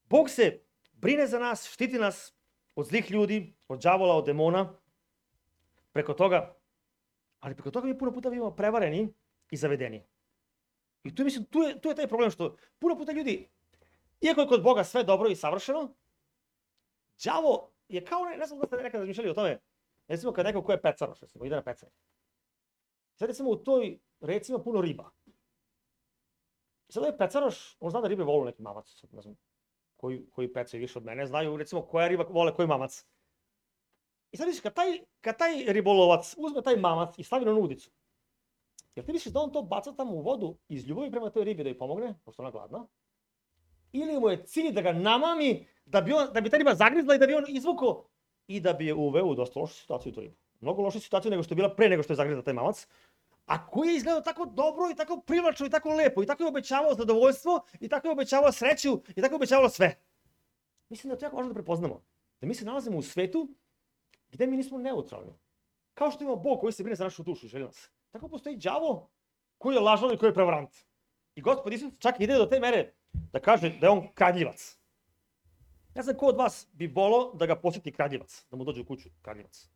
Bog se brine za nas, štiti nas od zlih ljudi, od đavola, od demona, preko toga, ali preko toga mi puno puta bivamo prevareni i zavedeni. I tu, mislim, tu, je, tu je taj problem što puno puta ljudi, iako je kod Boga sve dobro i savršeno, đavo je kao, ne, ne znam da ste nekada razmišljali o tome, recimo kad neko ko je pecaroš, recimo, ide na pecanje. Sad recimo u toj reci ima puno riba. I sad ovaj pecaroš, on zna da ribe volu neki mamac, ne znam, koji, koji pecaju više od mene, znaju recimo koja riba vole koji mamac. I sad misliš, kad taj, kad taj ribolovac uzme taj mamac i stavi na udicu, jel ti misliš da on to baca tamo u vodu iz ljubavi prema toj ribi da joj pomogne, pošto ona gladna? Ili mu je cilj da ga namami, da bi, on, da bi ta riba zagrizla i da bi on izvukao i da bi je uveo u dosta lošu situaciju u tu ribu. Mnogo lošu situaciju nego što je bila pre nego što je zagrizla taj mamac. A koji je izgledao tako dobro i tako privlačno i tako lepo i tako je obećavao zadovoljstvo i tako je obećavao sreću i tako je obećavalo sve. Mislim da je to jako važno da prepoznamo. Da mi se nalazimo u svetu gde mi nismo neutralni. Kao što ima Bog koji se brine za našu dušu i želi nas. Tako postoji đavo koji je lažan i koji je prevarant. I Gospod Isus čak ide do te mere da kaže da je on kradljivac. Ne znam ko od vas bi volao da ga posjeti kradljivac, da mu dođe u kuću kradljivac.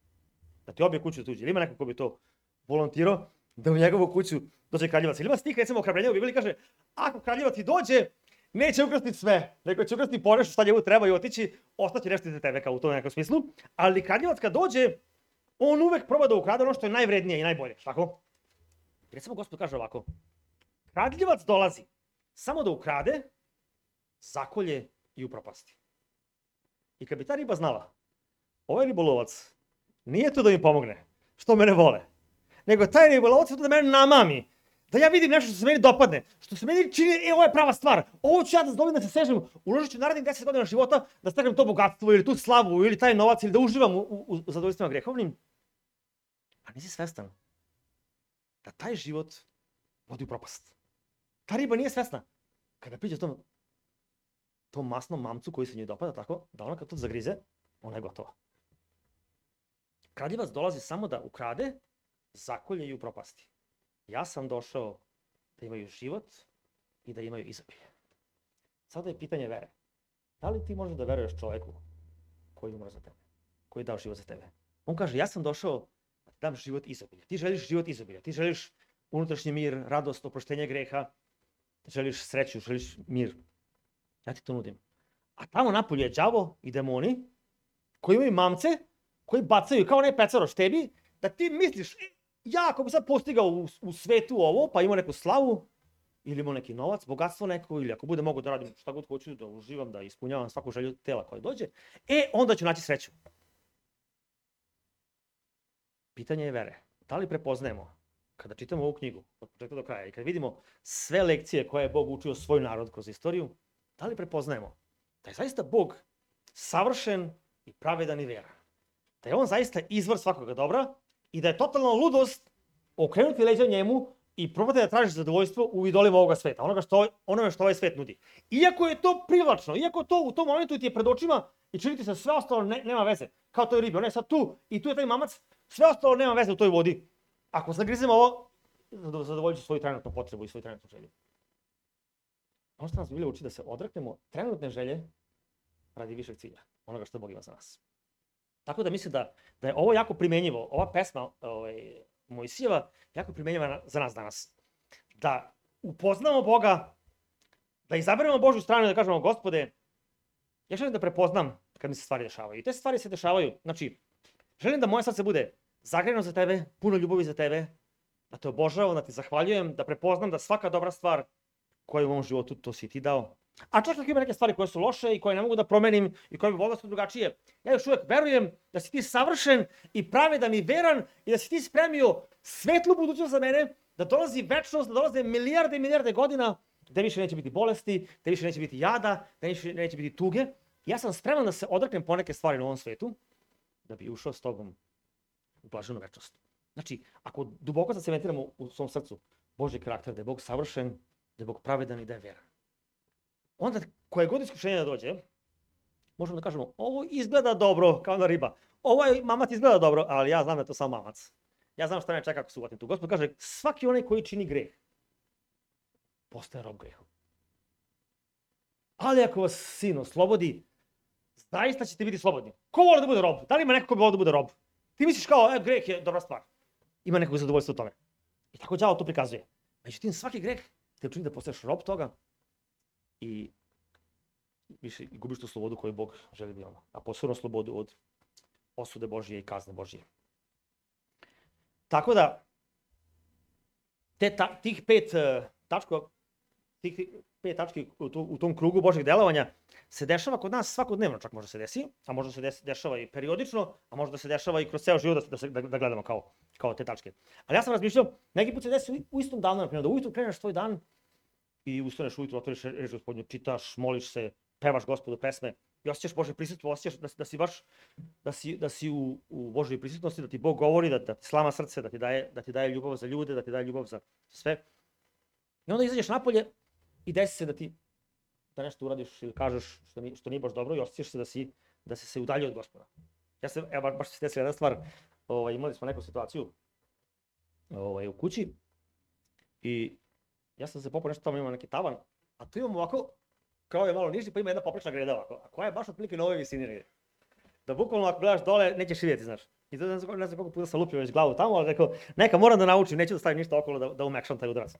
Da ti obje kuću tuđe. Ili ima neko ko bi to volontirao, da u njegovu kuću dođe kradljivac. Ili ima stih, recimo, ohrabrenja u Bibliji kaže, ako kradljivac ti dođe, neće ukrasti sve, nego će ukrasti po nešto šta njemu treba i otići, ostaće nešto za tebe, kao u tom nekom smislu. Ali kradljivac kad dođe, on uvek proba da ukrade ono što je najvrednije i najbolje, tako? Recimo, Gospod kaže ovako, kradljivac dolazi samo da ukrade, zakolje i upropasti. I kad bi ta riba znala, ovaj ribolovac nije tu da mi pomogne, što mene vole, nego taj ribolovac je tu da mene namami, da ja vidim nešto što se meni dopadne, što se meni čini, e, ovo je prava stvar, ovo ću ja da zdobim, da se sežem, uložit ću narednih deset godina života, da steknem to bogatstvo ili tu slavu ili taj novac ili da uživam u, u, u zadovoljstvima grehovnim. A nisi svestan da taj život vodi u propast. Ta riba nije svesna. Kada priđe tom, tom masnom mamcu koji se njoj dopada, tako, da ona kad to zagrize, ona je gotova. Kradljivac dolazi samo da ukrade, zakolje i upropasti. Ja sam došao da imaju život i da imaju izobilje. Sada je pitanje vere. Da li ti možeš da veruješ čoveku koji umre za tebe, koji je dao život za tebe? On kaže, ja sam došao da ti dam život izobilje. Ti želiš život izobilje, ti želiš unutrašnji mir, radost, oproštenje greha, želiš sreću, želiš mir. Ja ti to nudim. A tamo napolje je đavo i demoni koji imaju mamce, koji bacaju kao onaj pecaroš tebi, da ti misliš, e, ja ako bi sad postigao u, u svetu ovo, pa imao neku slavu, ili imao neki novac, bogatstvo neko, ili ako bude mogu da radim šta god hoću, da uživam, da ispunjavam svaku želju tela koja dođe, e, onda ću naći sreću. Pitanje je vere. Da li prepoznajemo, kada čitamo ovu knjigu, od početka do kraja, i kad vidimo sve lekcije koje je Bog učio svoj narod kroz istoriju, da li prepoznajemo da je zaista Bog savršen i pravedan i veran? Da je on zaista izvor svakoga dobra i da je totalna ludost okrenuti leđa njemu i probati da tražiš zadovoljstvo u idolima ovoga sveta, onoga što, onome što ovaj svet nudi. Iako je to privlačno, iako to u tom momentu ti je pred očima i čini ti se sve ostalo ne, nema veze, kao toj ribi, ona je sad tu i tu je taj mamac, sve ostalo nema veze u toj vodi. Ako zagrizemo ovo, zadovoljit ću svoju trenutnu potrebu i svoju trenutnu želju. Ono što nas Biblija uči da se odreknemo trenutne želje radi višeg cilja, onoga što Bog ima za nas. Tako da mislim da, da je ovo jako primenjivo, ova pesma ovaj, Mojsijeva jako primenjiva za nas danas. Da upoznamo Boga, da izaberemo Božju stranu i da kažemo, Gospode, ja želim da prepoznam kad mi se stvari dešavaju. I te stvari se dešavaju, znači, želim da moje srce bude zagrejeno za tebe, puno ljubavi za tebe, da te obožavam, da ti zahvaljujem, da prepoznam da svaka dobra stvar koja je u mom životu, to si ti dao. A čak ako ima neke stvari koje su loše i koje ne mogu da promenim i koje bi volio da su drugačije, ja još uvek verujem da si ti savršen i pravedan i veran i da si ti spremio svetlu budućnost za mene, da dolazi večnost, da dolaze milijarde i milijarde godina, da više neće biti bolesti, da više neće biti jada, da više neće biti tuge. Ja sam spreman da se odreknem poneke stvari na ovom svetu, da bi ušao s tobom u blaženu večnost. Znači, ako duboko zacementiramo u svom srcu Božji karakter, da je Bog savršen, da je Bog pravedan i da je veran, onda koje god iskušenje da dođe, možemo da kažemo, ovo izgleda dobro, kao na riba. Ovaj mamac izgleda dobro, ali ja znam da je to samo mamac. Ja znam šta me čeka ako se uvatim tu. Gospod kaže, svaki onaj koji čini greh, postaje rob grehu. Ali ako vas sin oslobodi, zaista ćete biti slobodni. Ko voli da bude rob? Da li ima neko ko bi volio da bude rob? Ti misliš kao, e, greh je dobra stvar. Ima nekog zadovoljstva u tome. I tako đavo to prikazuje. Međutim, svaki greh te učini da postaješ rob toga i više gubiš tu slobodu koju Bog želi da imamo. A posebno slobodu od osude Božije i kazne Božije. Tako da, te, ta, tih pet uh, tačka, tih pet tački u, tu, u tom krugu Božjeg delovanja se dešava kod nas svakodnevno, čak može se desi, a možda se desi, dešava i periodično, a možda se dešava i kroz ceo život da, da, da, da gledamo kao, kao te tačke. Ali ja sam razmišljao, neki put se desi u, u istom danu, naprimjer, da ujutru kreneš tvoj dan i ustaneš ujutru, otvoriš reč Gospodnju, čitaš, moliš se, pevaš Gospodu pesme i osjećaš Božje prisutstvo, osjećaš da, da si baš da si, da si u, u Božjoj prisutnosti, da ti Bog govori, da, da ti slama srce, da ti, daje, da ti daje ljubav za ljude, da ti daje ljubav za sve. I onda izađeš napolje i desi se da ti da nešto uradiš ili kažeš što, ni, što nije baš dobro i osjećaš se da si, da si se udaljio od Gospoda. Ja se, evo, baš se desila jedna stvar, ovaj, imali smo neku situaciju ovaj, u kući i ja sam se popao nešto tamo, imam neki tavan, a tu imam ovako krov je malo niži, pa ima jedna poprečna greda ovako. A koja je baš otprilike na ovoj visini negdje. Da bukvalno ako gledaš dole, nećeš vidjeti, znaš. I to ne znam, ne znam koliko puta sam lupio već glavu tamo, ali rekao, neka moram da naučim, neću da stavim ništa okolo da, da umekšam taj udarac.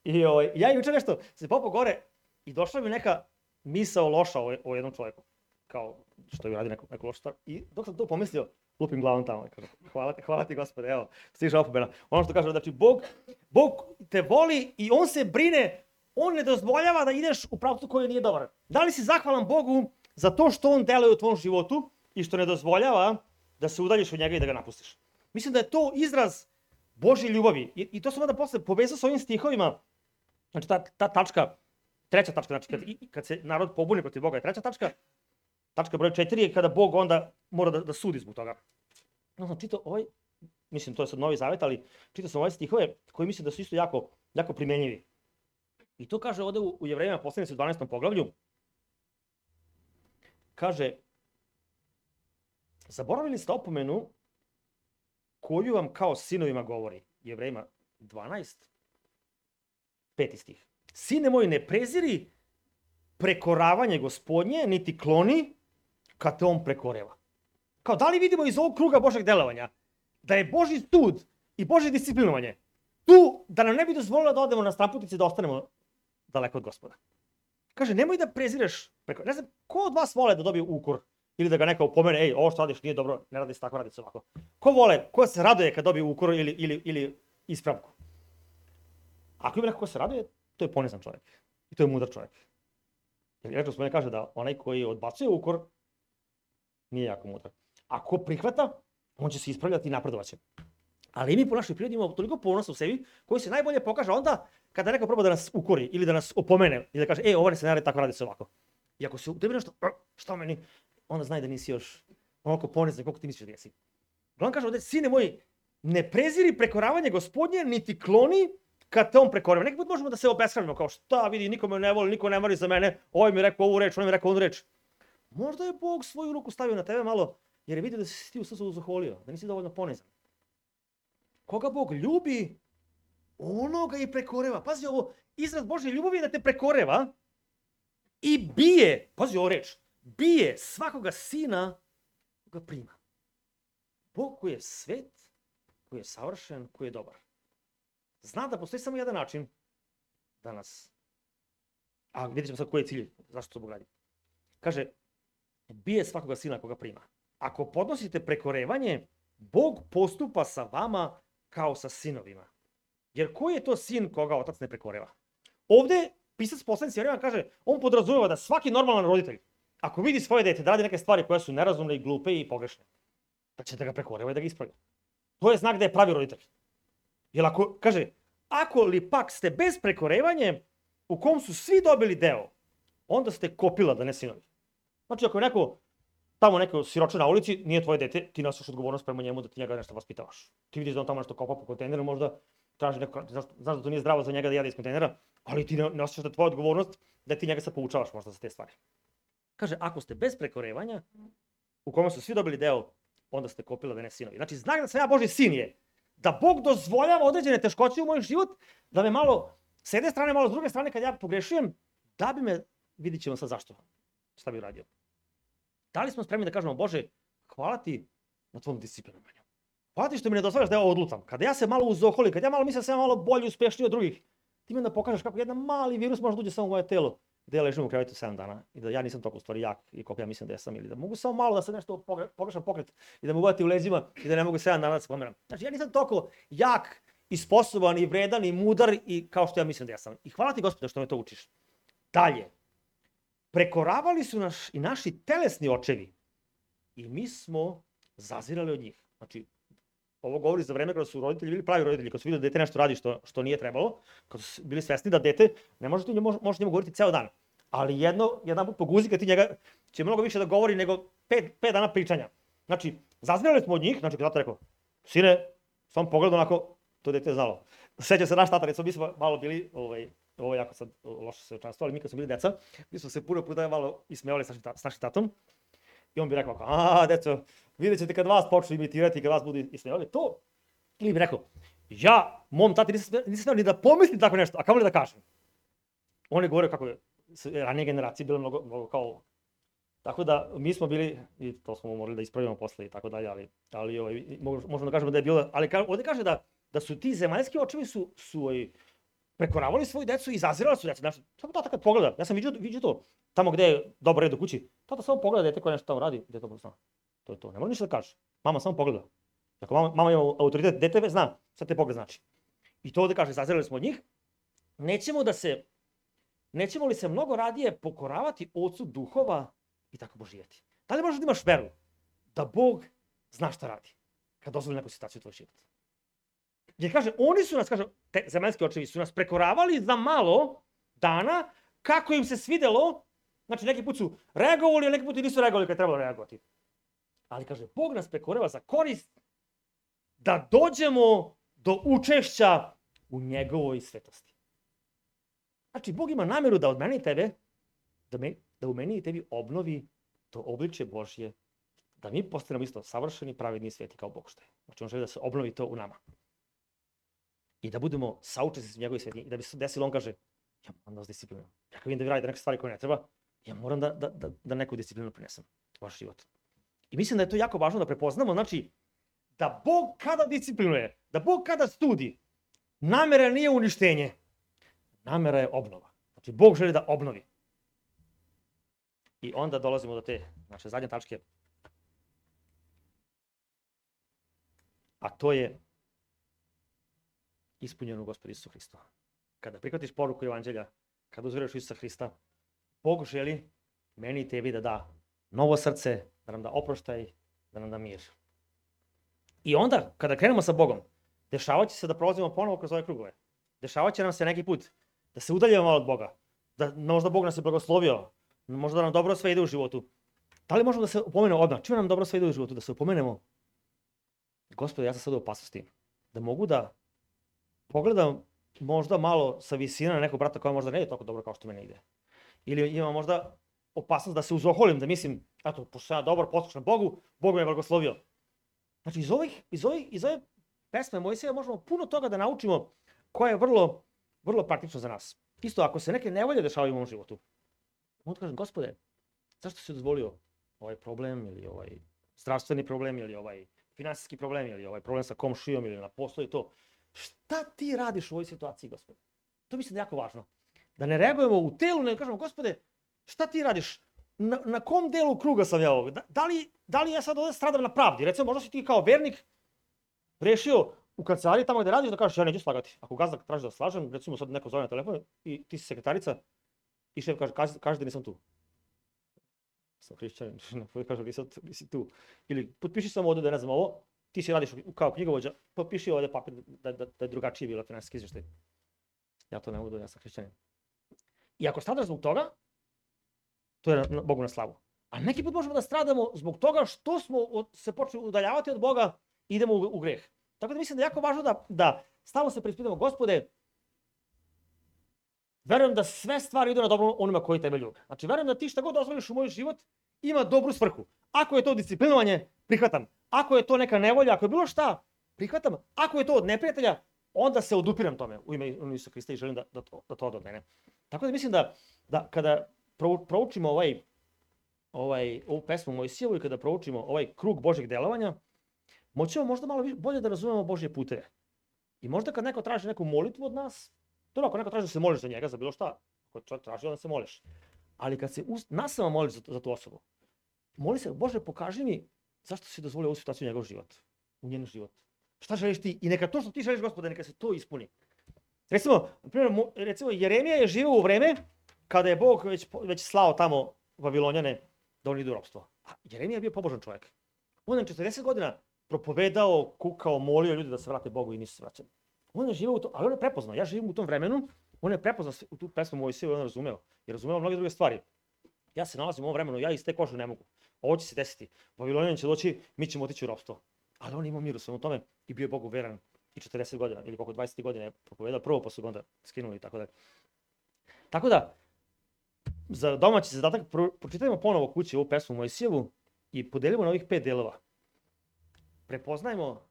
I ovaj, ja juče nešto se popao gore i došla mi neka misao loša o, o jednom čovjeku. Kao što je radi neku, neku lošu stvar. I dok sam to pomislio, lupim glavom tamo. Kažem, hvala ti, hvala ti Gospode, evo, stiže opomena. Ono što kaže, znači, Bog, Bog te voli i on se brine, on ne dozvoljava da ideš u pravcu koji nije dobar. Da li si zahvalan Bogu za to što on deluje u tvom životu i što ne dozvoljava da se udaljiš od njega i da ga napustiš? Mislim da je to izraz Božje ljubavi. I, i to sam onda posle povezao s ovim stihovima. Znači, ta, ta tačka, treća tačka, znači, kad, i, kad se narod pobuni protiv Boga je treća tačka. Tačka broj četiri je kada Bog onda mora da, da sudi zbog toga. No, sam čitao ovaj, mislim to je sad Novi Zavet, ali čitao sam ove stihove koji mislim da su isto jako, jako primenjivi. I to kaže ovde u, u Jevrejima poslanici u dvanaestom poglavlju. Kaže, zaboravili ste opomenu koju vam kao sinovima govori. Jevrejima dvanaest, peti stih. Sine moj, ne preziri prekoravanje Gospodnje, niti kloni kad te on prekoreva. Kao, da li vidimo iz ovog kruga Božeg delovanja da je Božji sud i Božje disciplinovanje tu da nam ne bi dozvolilo da odemo na stramputice da ostanemo daleko od Gospoda. Kaže, nemoj da prezireš preko... Ne znam, ko od vas vole da dobije ukor ili da ga neka upomene, ej, ovo što radiš nije dobro, ne radi se tako, radi se ovako. Ko vole, ko se raduje kad dobije ukor ili, ili, ili ispravku? Ako ima neko ko se raduje, to je ponizan čovjek. I to je mudar čovjek. Jer rekao smo, ne kaže da onaj koji odbacuje ukor nije jako mudar. Ako prihvata, on će se ispravljati i napredovaće. Ali mi po našoj prirodi imamo toliko ponosa u sebi koji se najbolje pokaže onda kada neko proba da nas ukori ili da nas opomene i da kaže, e, ovo ne se ne radi tako, radi se ovako. I ako se u tebi nešto, šta meni, onda znaj da nisi još onoliko ponizan koliko ti misliš da jesi. On kaže ovdje, sine moj, ne preziri prekoravanje Gospodnje, niti kloni kad te on prekoreva. Neki put možemo da se obespravimo kao šta vidi, niko me ne voli, niko ne mari za mene, ovaj mi rekao ovu reč, on mi rekao onu reč. Možda je Bog svoju ruku stavio na tebe malo jer je vidio da si ti u srcu zaholio, da nisi dovoljno ponizan. Koga Bog ljubi, ono ga i prekoreva. Pazi ovo, izraz Božje ljubavi je da te prekoreva i bije, pazi ovo reč, bije svakoga sina koga prima. Bog koji je svet, koji je savršen, koji je dobar. Zna da postoji samo jedan način da nas, a vidjet ćemo sad koji je cilj, zašto to Bog radi. Kaže, bije svakoga sina koga prima. Ako podnosite prekorevanje, Bog postupa sa vama kao sa sinovima. Jer koji je to sin koga otac ne prekoreva? Ovde pisac poslanici Jevrejima kaže, on podrazumeva da svaki normalan roditelj, ako vidi svoje dete da radi neke stvari koje su nerazumne i glupe i pogrešne, da će da ga prekoreva i da ga ispravlja. To je znak da je pravi roditelj. Jer ako, kaže, ako li pak ste bez prekorevanje, u kom su svi dobili deo, onda ste kopila da ne sinovi. Znači ako je neko, tamo neko siroče na ulici, nije tvoje dete, ti nosiš odgovornost prema njemu da ti njega nešto vaspitavaš. Ti vidiš da on tamo nešto kopa po kontejneru, možda traži neko, znaš, znaš da to nije zdravo za njega da jede iz kontejnera, ali ti ne nosiš da tvoja odgovornost da ti njega sad poučavaš možda za te stvari. Kaže, ako ste bez prekorevanja, u kome su svi dobili deo, onda ste kopila da ne sinovi. Znači, znak da sam ja Božji sin je da Bog dozvoljava određene teškoće u moj život, da me malo s jedne strane, malo s druge strane, kad ja pogrešujem, da bi me, vidit ćemo sad zašto, šta bi uradio. Da li smo spremni da kažemo, Bože, hvala ti na tvom disciplinovanju. Hvala ti što mi ne dozvoljaš da ja odlutam. Kada ja se malo uzoholim, kada ja malo mislim da sam malo bolji, uspešniji od drugih, ti mi onda pokažeš kako jedan mali virus može da uđe samo u moje telo, da ja ležim u krevetu sedam dana i da ja nisam toliko u stvari jak i koliko ja mislim da ja sam, ili da mogu samo malo da se nešto pogrešan pokret i da me uvati u leđima i da ne mogu sedam dana da se pomeram. Znači ja nisam toliko jak i sposoban i vredan i mudar i kao što ja mislim da ja sam. I hvala ti Gospode što me to učiš. Dalje. Prekoravali su naš i naši telesni očevi i mi smo zazirali od njih. Znači, ovo govori za vreme kada su roditelji bili pravi roditelji, kada su vidjeli da dete nešto radi što, što nije trebalo, kada su bili svesni da dete, ne možete njemu, možete njemu govoriti ceo dan, ali jedno, jedan put poguzi kad ti njega će mnogo više da govori nego pet, pet dana pričanja. Znači, zazirali smo od njih, znači kada tata rekao, sine, sam pogled onako, to dete je znalo. Seća se naš tata, recimo mi smo malo bili, ovaj, ovo jako sad loše se očanstvo, ali mi kad smo bili deca, mi smo se puno puta malo ismevali s našim, s našim tatom. I on bi rekao, a deco, vidjet ćete kad vas počnu imitirati i kad vas budu ismevali to. Ili bi rekao, ja, mom tati nisam, nisam smeo ni da pomislim tako nešto, a kamo li da kažem. On je govorio kako je ranije generacije bile mnogo, mnogo kao ovo. Tako da mi smo bili, i to smo morali da ispravimo posle i tako dalje, ali, ali ovaj, možemo da kažemo da je bilo, ali ka, ovde kaže da, da su ti zemaljski očevi su, su ovaj, prekoravali svoju decu i izazirali su decu. Znači, samo tata kad pogleda, ja sam vidio, vidio to, tamo gde je dobar red u kući, tata samo pogleda dete koje nešto tamo radi, dete to zna. To je to, ne mora ništa da kaže. Mama samo pogleda. Ako mama, mama ima autoritet, dete zna šta te pogled znači. I to ovde kaže, izazirali smo od njih. Nećemo da se, nećemo li se mnogo radije pokoravati ocu duhova i tako božijeti. Da li možeš da imaš veru da Bog zna šta radi kad dozvoli neku situaciju u tvoj život? Jer kaže, oni su nas, kaže, te zemaljski očevi su nas prekoravali za malo dana kako im se svidelo. Znači, neki put su reagovali, a neki put i nisu reagovali kad je trebalo reagovati. Ali kaže, Bog nas prekorava za korist da dođemo do učešća u njegovoj svetosti. Znači, Bog ima nameru da od mene i tebe, da, me, da u meni i tebi obnovi to obličje Božje, da mi postanemo isto savršeni, pravedni i sveti kao Bog što je. Znači, on želi da se obnovi to u nama. I da budemo saučesnici u njegovoj sveti. I da bi se desilo, on kaže, ja moram da vas disciplinujem. Ja kad vidim da vi radite neke stvari koje ne treba, ja moram da, da, da, da neku disciplinu prinesem u vaš život. I mislim da je to jako važno da prepoznamo, znači, da Bog kada disciplinuje, da Bog kada studi, namera nije uništenje, namera je obnova. Znači, Bog želi da obnovi. I onda dolazimo do te, znači, zadnje tačke. A to je ispunjeno u Gospodu Isusu Hristu. Kada prihvatiš poruku Evanđelja, kada uzveruješ u Isusa Hrista, Bog želi meni i tebi da da novo srce, da nam da oproštaj, da nam da mir. I onda, kada krenemo sa Bogom, dešavaće se da prolazimo ponovo kroz ove krugove. Dešavaće nam se neki put da se udaljimo malo od Boga, da možda Bog nas je blagoslovio, možda nam dobro sve ide u životu. Da li možemo da se upomenemo odmah? Čime nam dobro sve ide u životu? Da se upomenemo, Gospode, ja sam sad u opasnosti. Da mogu da pogledam možda malo sa visine na nekog brata koja možda ne ide tako dobro kao što mene ide. Ili ima možda opasnost da se uzoholim, da mislim, eto, pošto sam ja dobar, poslušan Bogu, Bog me je blagoslovio. Znači, iz, ovih, iz, ovih, iz ove pesme Mojsija možemo puno toga da naučimo koja je vrlo, vrlo praktično za nas. Isto, ako se neke nevolje dešavaju u mom životu, onda kažem, Gospode, zašto si dozvolio ovaj problem ili ovaj zdravstveni problem ili ovaj finansijski problem ili ovaj problem sa komšijom ili na poslu i to. Šta ti radiš u ovoj situaciji, Gospode? To mislim da je jako važno. Da ne reagujemo u telu, nego kažemo, Gospode, šta ti radiš? Na, na kom delu kruga sam ja ovdje? Da, da, li, da li ja sad ovdje stradam na pravdi? Recimo, možda si ti kao vernik rešio u kancelariji tamo gde radiš da kažeš ja neću slagati. Ako gazda traži da slažem, recimo sad neko zove na telefon i ti si sekretarica i šef kaže, kaže, kaže da nisam tu. Sam hrišćanin, kaže nisam tu, nisi tu. Ili potpiši samo ovdje da ne znam ovo, ti si radiš kao knjigovođa, potpiši ovdje papir da, da, da je drugačije bilo finansijski izveštaj. Ja to ne mogu, ja sam hrišćanin. I ako stradaš zbog toga, to je na, Bogu na slavu. A neki put možemo da stradamo zbog toga što smo od, se počeli udaljavati od Boga i idemo u, u greh. Tako da mislim da je jako važno da, da stalno se preispitamo, Gospode, verujem da sve stvari idu na dobro onima koji tebe ljube. Znači, verujem da ti šta god dozvoliš u moj život ima dobru svrhu. Ako je to disciplinovanje, prihvatam. Ako je to neka nevolja, ako je bilo šta, prihvatam. Ako je to od neprijatelja, onda se odupiram tome u ime Isusa Hrista i želim da, da, to, da to ode od mene. Tako da mislim da, da kada proučimo ovaj, ovaj, ovu pesmu Mojsijevu i kada proučimo ovaj krug Božjeg delovanja, moćemo možda malo bolje da razumemo Božje puteve. I možda kad neko traži neku molitvu od nas, dobro, ako neko traži da se moliš za njega, za bilo šta, ako čovjek traži, onda se moliš. Ali kad se nas sama moliš za, za tu osobu, moli se, Bože, pokaži mi zašto si dozvolio ovu situaciju u njegov život, u njen život. Šta želiš ti? I neka to što ti želiš, Gospode, neka se to ispuni. Recimo, primjer, recimo Jeremija je živio u vreme kada je Bog već, već slao tamo Vavilonjane da oni idu u ropstvo. A Jeremija je bio pobožan čovjek. On je četrdeset godina propovedao, kukao, molio ljudi da se vrate Bogu i nisu se vraćali. On je živio u to, ali on je prepoznao. Ja živim u tom vremenu, on je prepoznao u tu pesmu Mojsiju i on je razumeo. I razumeo mnoge druge stvari. Ja se nalazim u ovom vremenu, ja iz te kože ne mogu. Ovo će se desiti. Vavilonjani će doći, mi ćemo otići u ropstvo. Ali on imao mir u svemu tome i bio je Bogu veran i četrdeset godina ili koliko dvadeset godina je propovedao prvo, pa su ga onda skinuli i tako da. Tako da, za domaći zadatak pro, pročitajmo ponovo kući ovu pesmu Mojsijevu i podelimo na ovih pet delova. Prepoznajmo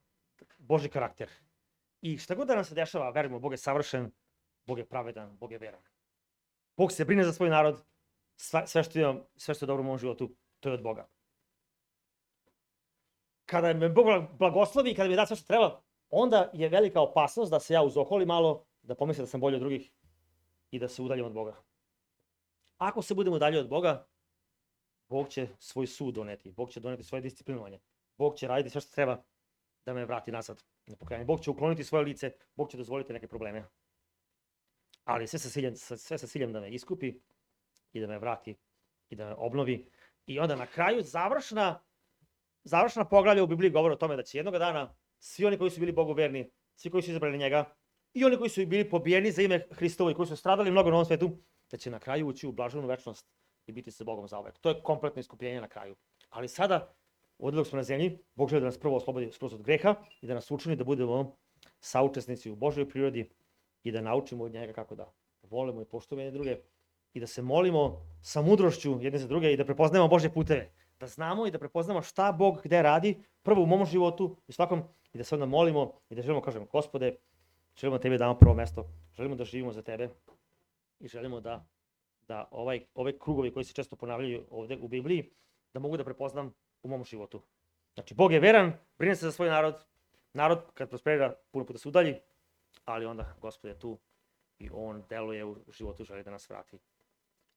Božji karakter. I šta god da nam se dešava, verujemo, Bog je savršen, Bog je pravedan, Bog je veran. Bog se brine za svoj narod, sve, sve, što, imam, sve što je dobro u mom životu, to je od Boga. Kada me Bog blagoslovi, kada mi da sve što treba, onda je velika opasnost da se ja uzoholim malo, da pomislim da sam bolji od drugih i da se udaljim od Boga. Ako se budemo dalje od Boga, Bog će svoj sud doneti, Bog će doneti svoje disciplinovanje, Bog će raditi sve što treba da me vrati nazad na pokajanje. Bog će ukloniti svoje lice, Bog će dozvoliti neke probleme. Ali sve sa ciljem, sve sa ciljem da me iskupi i da me vrati i da me obnovi. I onda na kraju završna, završna poglavlja u Bibliji govore o tome da će jednog dana svi oni koji su bili Bogu verni, svi koji su izabrali njega i oni koji su bili pobijeni za ime Hristovo i koji su stradali mnogo na ovom svetu, da će na kraju ući u blaženu večnost i biti sa Bogom zauvek. To je kompletno iskupljenje na kraju. Ali sada, ovdje dok smo na zemlji, Bog želi da nas prvo oslobodi skroz od greha i da nas učini da budemo saučesnici u Božoj prirodi i da naučimo od njega kako da volimo i poštujemo jedne druge i da se molimo sa mudrošću jedne za druge i da prepoznajemo Božje puteve. Da znamo i da prepoznamo šta Bog gde radi, prvo u mom životu i svakom, i da se onda molimo i da želimo, kažemo, Gospode, želimo Tebe damo prvo mesto, želimo da živimo za Tebe i želimo da, da ovaj, ove krugovi koji se često ponavljaju ovdje u Bibliji, da mogu da prepoznam u mom životu. Znači, Bog je veran, brine se za svoj narod, narod kad prosperira puno puta se udalji, ali onda Gospod je tu i On deluje u životu, želi da nas vrati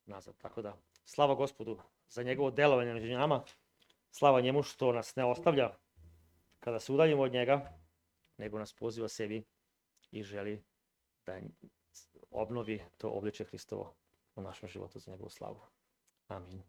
nazad. Tako da, slava Gospodu za njegovo delovanje među nama, slava njemu što nas ne ostavlja kada se udaljimo od njega, nego nas poziva sebi i želi da obnovi to obličje Hristovo u našem životu za njegovu slavu. Amin.